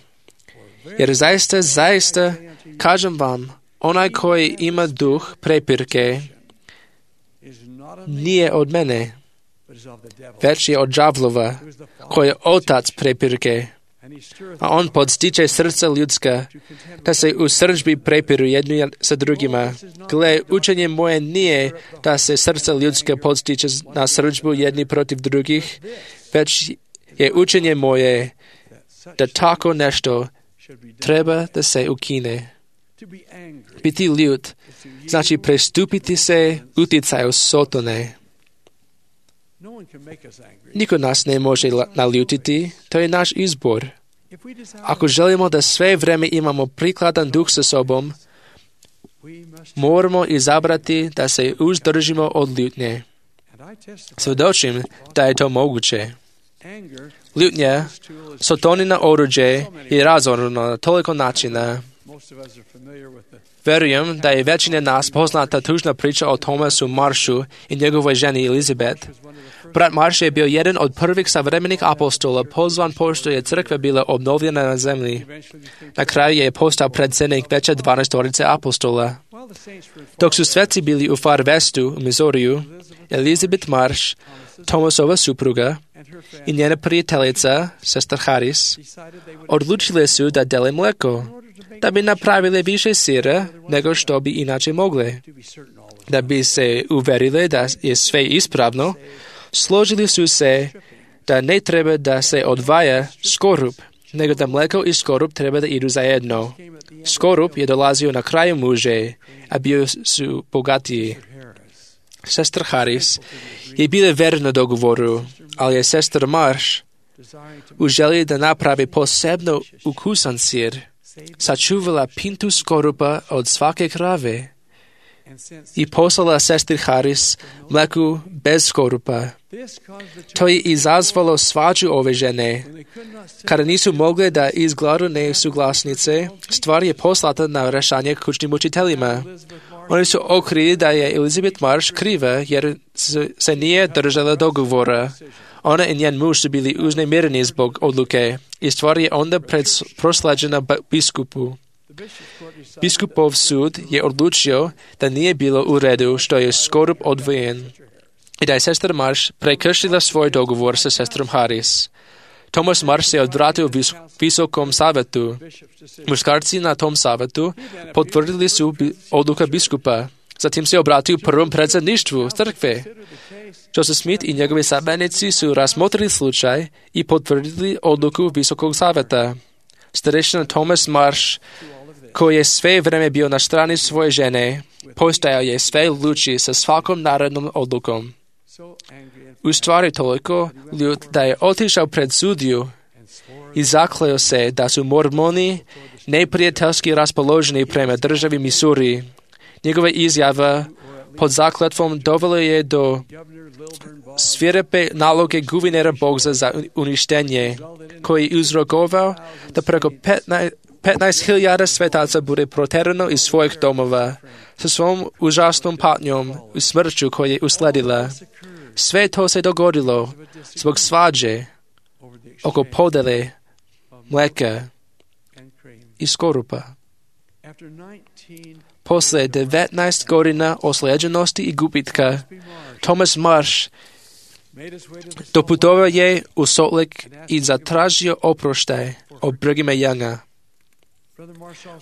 Speaker 6: jer zaista, zaista, kažem vam, onaj koji ima duh prepirke nije od mene, već je od đavlova, koji je otac prepirke. A on podstiče srca ljudska, da se u srdžbi prepiru jedni sa drugima. Gle, učenje moje nije da se srca ljudska podstiče na srdžbu jedni protiv drugih, već je učenje moje da tako nešto treba da se ukine. Biti ljut znači prestupiti se utjecaju Sotone. Niko nas ne može naljutiti, to je naš izbor. Ako želimo da sve vrijeme imamo prikladan duh sa sobom, moramo izabrati da se uzdržimo od ljutnje. Svjedočim da je to moguće. Ljutnja, Sotonina oruđe, je razorno na toliko načina. Verujem da je većina nas poznata tužna priča o Thomasu Maršu i njegovoj ženi Elizabeth. Brat Marš je bio jedan od prvih savremenih apostola, pozvan pošto je crkva bila obnovljena na zemlji. Na kraju je postao predsjednik veće dvanaestorice apostola. Dok su sveci bili u Far Westu, u Missouriju, Elizabeth Marš, Thomasova supruga i njena prijateljica, sestra Harris, odlučile su da dele mleko, da bi napravile više sira nego što bi inače mogle. Da bi se uverile da je sve ispravno, složili su se da ne treba da se odvaja skorup, nego da mleko i skorup treba da idu zajedno. Skorup je dolazio na kraju muže, a bio su bogatiji. Sestra Harris je bila verna dogovoru, ali je sestra Marš u želji da napravi posebno ukusan sir, sačuvala pintu skorupa od svake krave i poslala sestri Harris mleku bez skorupa. To je izazvalo svađu ove žene. Kada nisu mogle da izgladu nesuglasnice, stvar je poslata na rešanje kućnim učiteljima. Oni su okrili da je Elizabeth Marš kriva jer se nije držala dogovora. Ona i njen muž su bili uznemireni zbog odluke i stvar je onda prosleđena biskupu. Biskupov sud je odlučio da nije bilo u redu što je skorup odvojen i da je sestra Marš prekršila svoj dogovor sa sestrom Harris. Thomas Marš se odvratio vis- visokom savjetu. Muškarci na tom savjetu potvrdili su bi- odluka biskupa. Zatim se obratio prvom predsjedništvu crkve. Joseph Smith i njegovi sabanici su razmotrili slučaj i potvrdili odluku visokog savjeta. Starešina Thomas Marš, koji je sve vrijeme bio na strani svoje žene, postajao je sve luči sa svakom narodnom odlukom. U stvari toliko ljut da je otišao pred sudiju i zakleo se da su mormoni neprijateljski raspoloženi prema državi Missouri. Njegova izjava pod zakletvom dovela je do svirepe naloge guvernera Bogza za uništenje, koji je uzrokovao da preko petnaest hiljada svetaca bude proterano iz svojih domova sa svom užasnom patnjom i smrću koja je usledila. Sve to se dogodilo zbog svađe oko podele mleka i skorupa. Posle devetnaest godina osleđenosti i gubitka, Thomas Marš doputovao je u Salt Lake i zatražio oproštaj od Brighama Younga.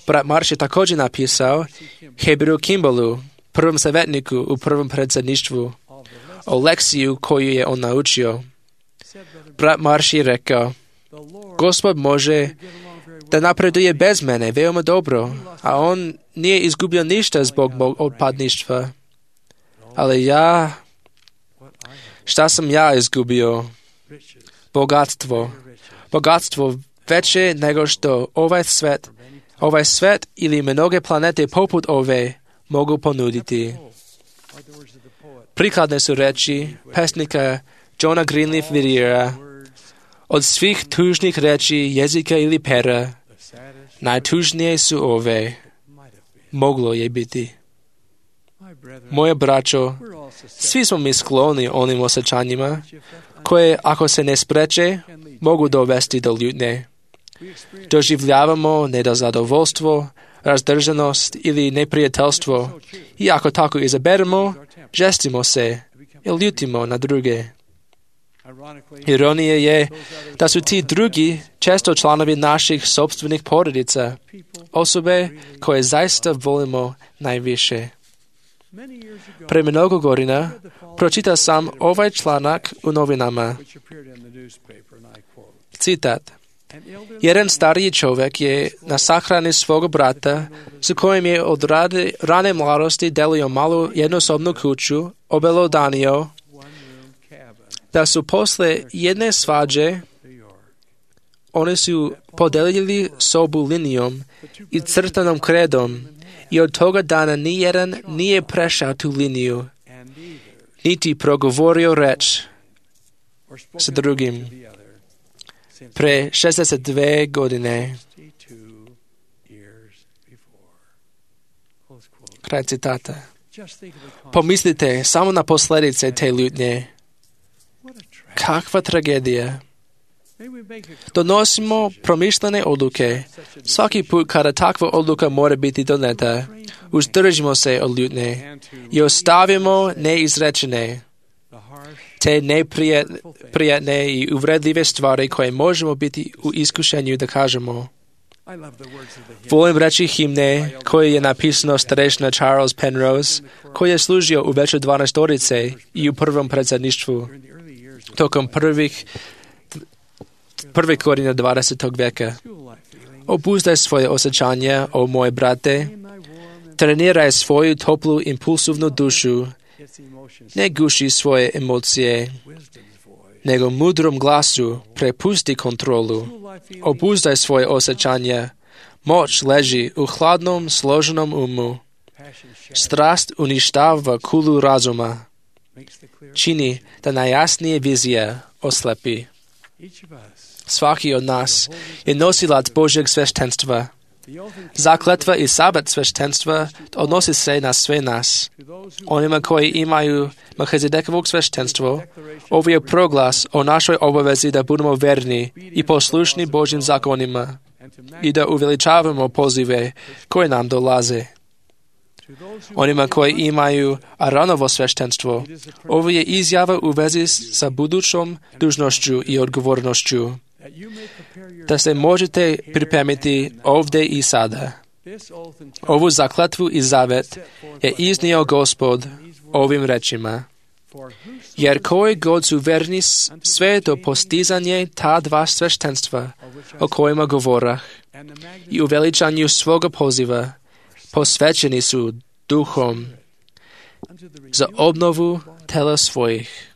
Speaker 6: Brat Marš je također napisao Hebrew Kimballu, prvom savjetniku u prvom predsjedništvu, o lekciju koju je on naučio. Brat Marš je rekao, Gospod može da napreduje bez mene veoma dobro, a on nije izgubio ništa zbog mog odpadništva. Ali ja, šta sam ja izgubio? Bogatstvo. Bogatstvo veće nego što ovaj svet, ovaj svet ili mnoge planete poput ove mogu ponuditi. Prikladne su reči pesnika Johna Greenleaf Whittiera. Od svih tužnih reči jezika ili pera, najtužnije su ove. Moglo je biti. Moje braćo, svi smo mi skloni onim osjećanjima, koje, ako se ne spreče, mogu dovesti do ljutnje. Doživljavamo nezadovoljstvo, razdržanost ili neprijateljstvo i ako tako izaberemo, žestimo se i ljutimo na druge. Ironija je da su ti drugi često članovi naših sopstvenih porodica, osobe koje zaista volimo najviše. Pre mnogo godina pročitao sam ovaj članak u novinama. Citat. Jedan stariji čovjek je na sahrani svog brata, s kojim je od rade, rane mladosti delio malu jednosobnu kuću, obelodanio da su posle jedne svađe oni su podelili sobu linijom i crtanom kredom i od toga dana nijedan nije prešao tu liniju, niti progovorio reč sa drugim. Pre šezdeset dve godine. Kraj citata. Pomislite samo na posljedice te ljutnje. Kakva tragedija. Donosimo promišljene odluke. Svaki put kada takva odluka mora biti doneta, uzdržimo se od ljutnje i ostavimo neizrečene te neprijatne i uvredljive stvari koje možemo biti u iskušenju da kažemo. Volim reći himne koje je napisano starešina Charles Penrose, koji je služio u veću dvanaestorice i u prvom predsjedništvu tokom prvih prvih godina dvadesetog veka. Obuzdaj svoje osjećanja, o moje brate, treniraj svoju toplu impulsivnu dušu, ne guši svoje emocije, nego mudrom glasu prepusti kontrolu. Obuzdaj svoje osjećanja. Moć leži u hladnom, složenom umu. Strast uništava kulu razuma. Čini da najjasnije vizija oslepi. Svaki od nas je nosilac Božjeg sveštenstva. Zakletva i sabat sveštenstva odnosi se na sve nas. Onima koji imaju Melchizedekovog sveštenstvo, ovo je proglas o našoj obavezi da budemo verni i poslušni Božjim zakonima i da uveličavamo pozive koje nam dolaze. Onima koji imaju Aronovo sveštenstvo, ovo je izjava u vezi sa budućom dužnošću i odgovornošću, da se možete pripremiti ovdje i sada. Ovu zakletvu i zavet je iznio Gospod ovim rečima. Jer koji god su verni sve do postizanje ta dva sveštenstva o kojima govorah i u veličanju svoga poziva, posvećeni su duhom za obnovu tela svojih.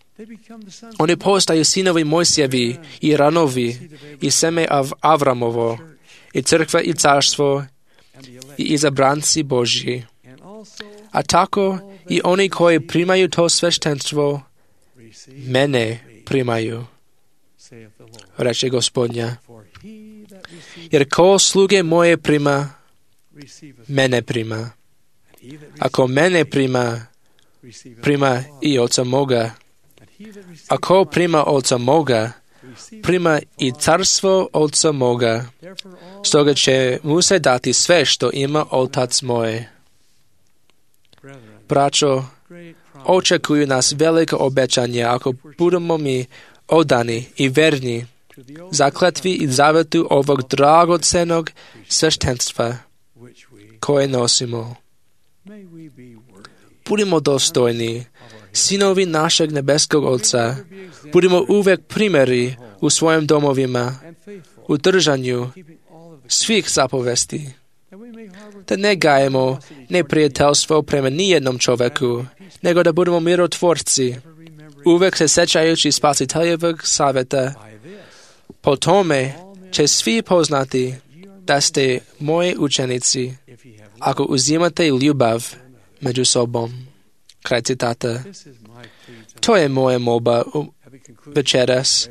Speaker 6: Oni postaju sinovi Mojsijevi i Ranovi i seme Av- Avramovo i crkva i carstvo i izabranci Božji. A tako i oni koji primaju to sveštenstvo, mene primaju, reče Gospodnja. Jer ko sluge moje prima, mene prima. Ako mene prima, prima i Oca moga. Ako prima Oca moga, prima i carstvo Oca moga. Stoga će mu se dati sve što ima Otac moje. Braćo, očekuju nas velika obećanja ako budemo mi odani i verni zakletvi i zavetu ovog dragocenog sveštenstva koje nosimo. Budimo dostojni, sinovi našeg nebeskog Oca, budimo uvek primjeri u svojim domovima, u držanju svih zapovesti, da ne gajemo neprijateljstvo prema nijednom čovjeku, nego da budemo mirotvorci, uvek se sećajući Spasiteljevog savjeta. Po tome će svi poznati da ste moji učenici ako uzimate ljubav među sobom. Kraj citata. To je moja molba večeras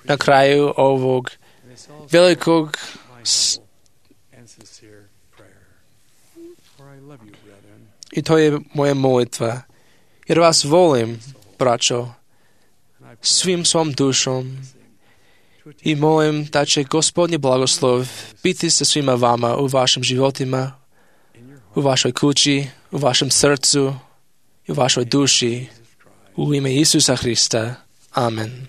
Speaker 6: na kraju ovog velikog i to je moja molitva. Jer vas volim, braćo, svim svom dušom i molim da će Gospodnji blagoslov biti sa svima vama u vašim životima, u vašoj kući, u vašem srcu i u vašoj duši. U ime Isusa Hrista. Amen.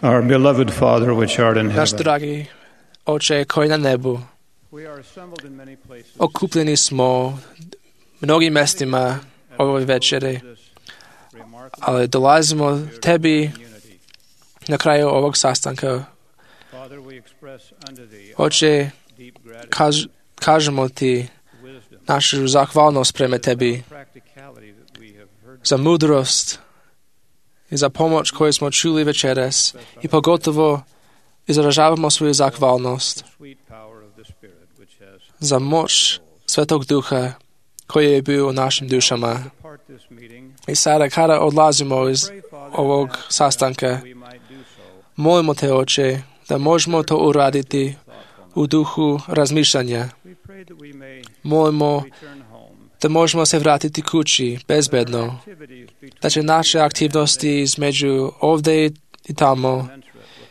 Speaker 5: Our beloved Father, which art in
Speaker 6: Naš
Speaker 5: heaven,
Speaker 6: dragi Oče koji na nebu,
Speaker 5: we are assembled in many places
Speaker 6: okupljeni smo mnogim mestima ove večere, ali dolazimo tebi na kraju ovog sastanka.
Speaker 5: Father, we express unto thee
Speaker 6: Oče,
Speaker 5: deep gratitude,
Speaker 6: kaž, kažemo ti
Speaker 5: wisdom,
Speaker 6: našu zahvalnost prema tebi
Speaker 5: practicality that we have heard,
Speaker 6: za mudrost i za pomoć koju smo čuli večeras i pogotovo izražavamo svoju zahvalnost
Speaker 5: sweet power of the Spirit which has
Speaker 6: za moć Svetog Duha koji je bio u našim dušama.
Speaker 5: part this meeting.
Speaker 6: I sada kada odlazimo iz
Speaker 5: Pray, Father,
Speaker 6: ovog
Speaker 5: that
Speaker 6: sastanka,
Speaker 5: we might do so
Speaker 6: molimo te, Oče, da možemo to uraditi u duhu razmišljanja.
Speaker 5: We pray that we may
Speaker 6: Molimo
Speaker 5: return home.
Speaker 6: da možemo se vratiti kući bezbedno,
Speaker 5: Activities between
Speaker 6: da će naše aktivnosti između ovdje i tamo
Speaker 5: commensurate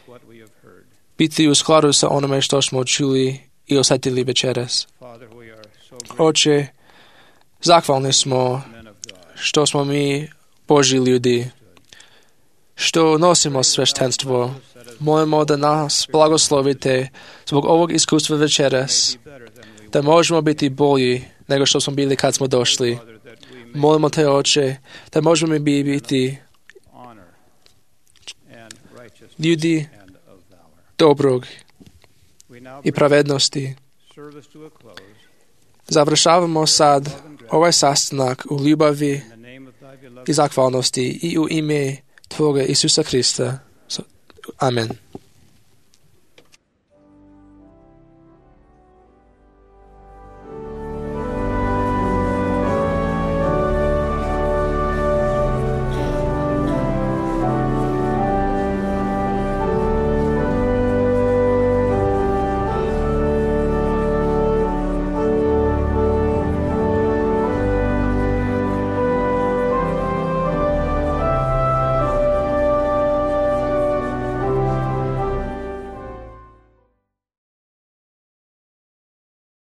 Speaker 5: with what we have heard.
Speaker 6: biti u skladu sa onome što smo čuli i osjetili večeras.
Speaker 5: Father, we are so grateful,
Speaker 6: Oče, zahvalni smo
Speaker 5: men of God.
Speaker 6: što smo mi Božji ljudi, što nosimo sveštenstvo. Molimo da nas blagoslovite zbog ovog iskustva večeras, da možemo biti bolji nego što smo bili kad smo došli.
Speaker 5: Father, that we may
Speaker 6: Molimo te, Oče, da možemo mi biti
Speaker 5: honor and righteousness
Speaker 6: ljudi
Speaker 5: and of valor.
Speaker 6: dobrog
Speaker 5: We now
Speaker 6: i
Speaker 5: bring
Speaker 6: pravednosti.
Speaker 5: service to a close.
Speaker 6: Završavamo sad ovaj sastanak u ljubavi
Speaker 5: In the name of thy beloved
Speaker 6: i zahvalnosti i u ime Tvoga Isusa Hrista. Amen.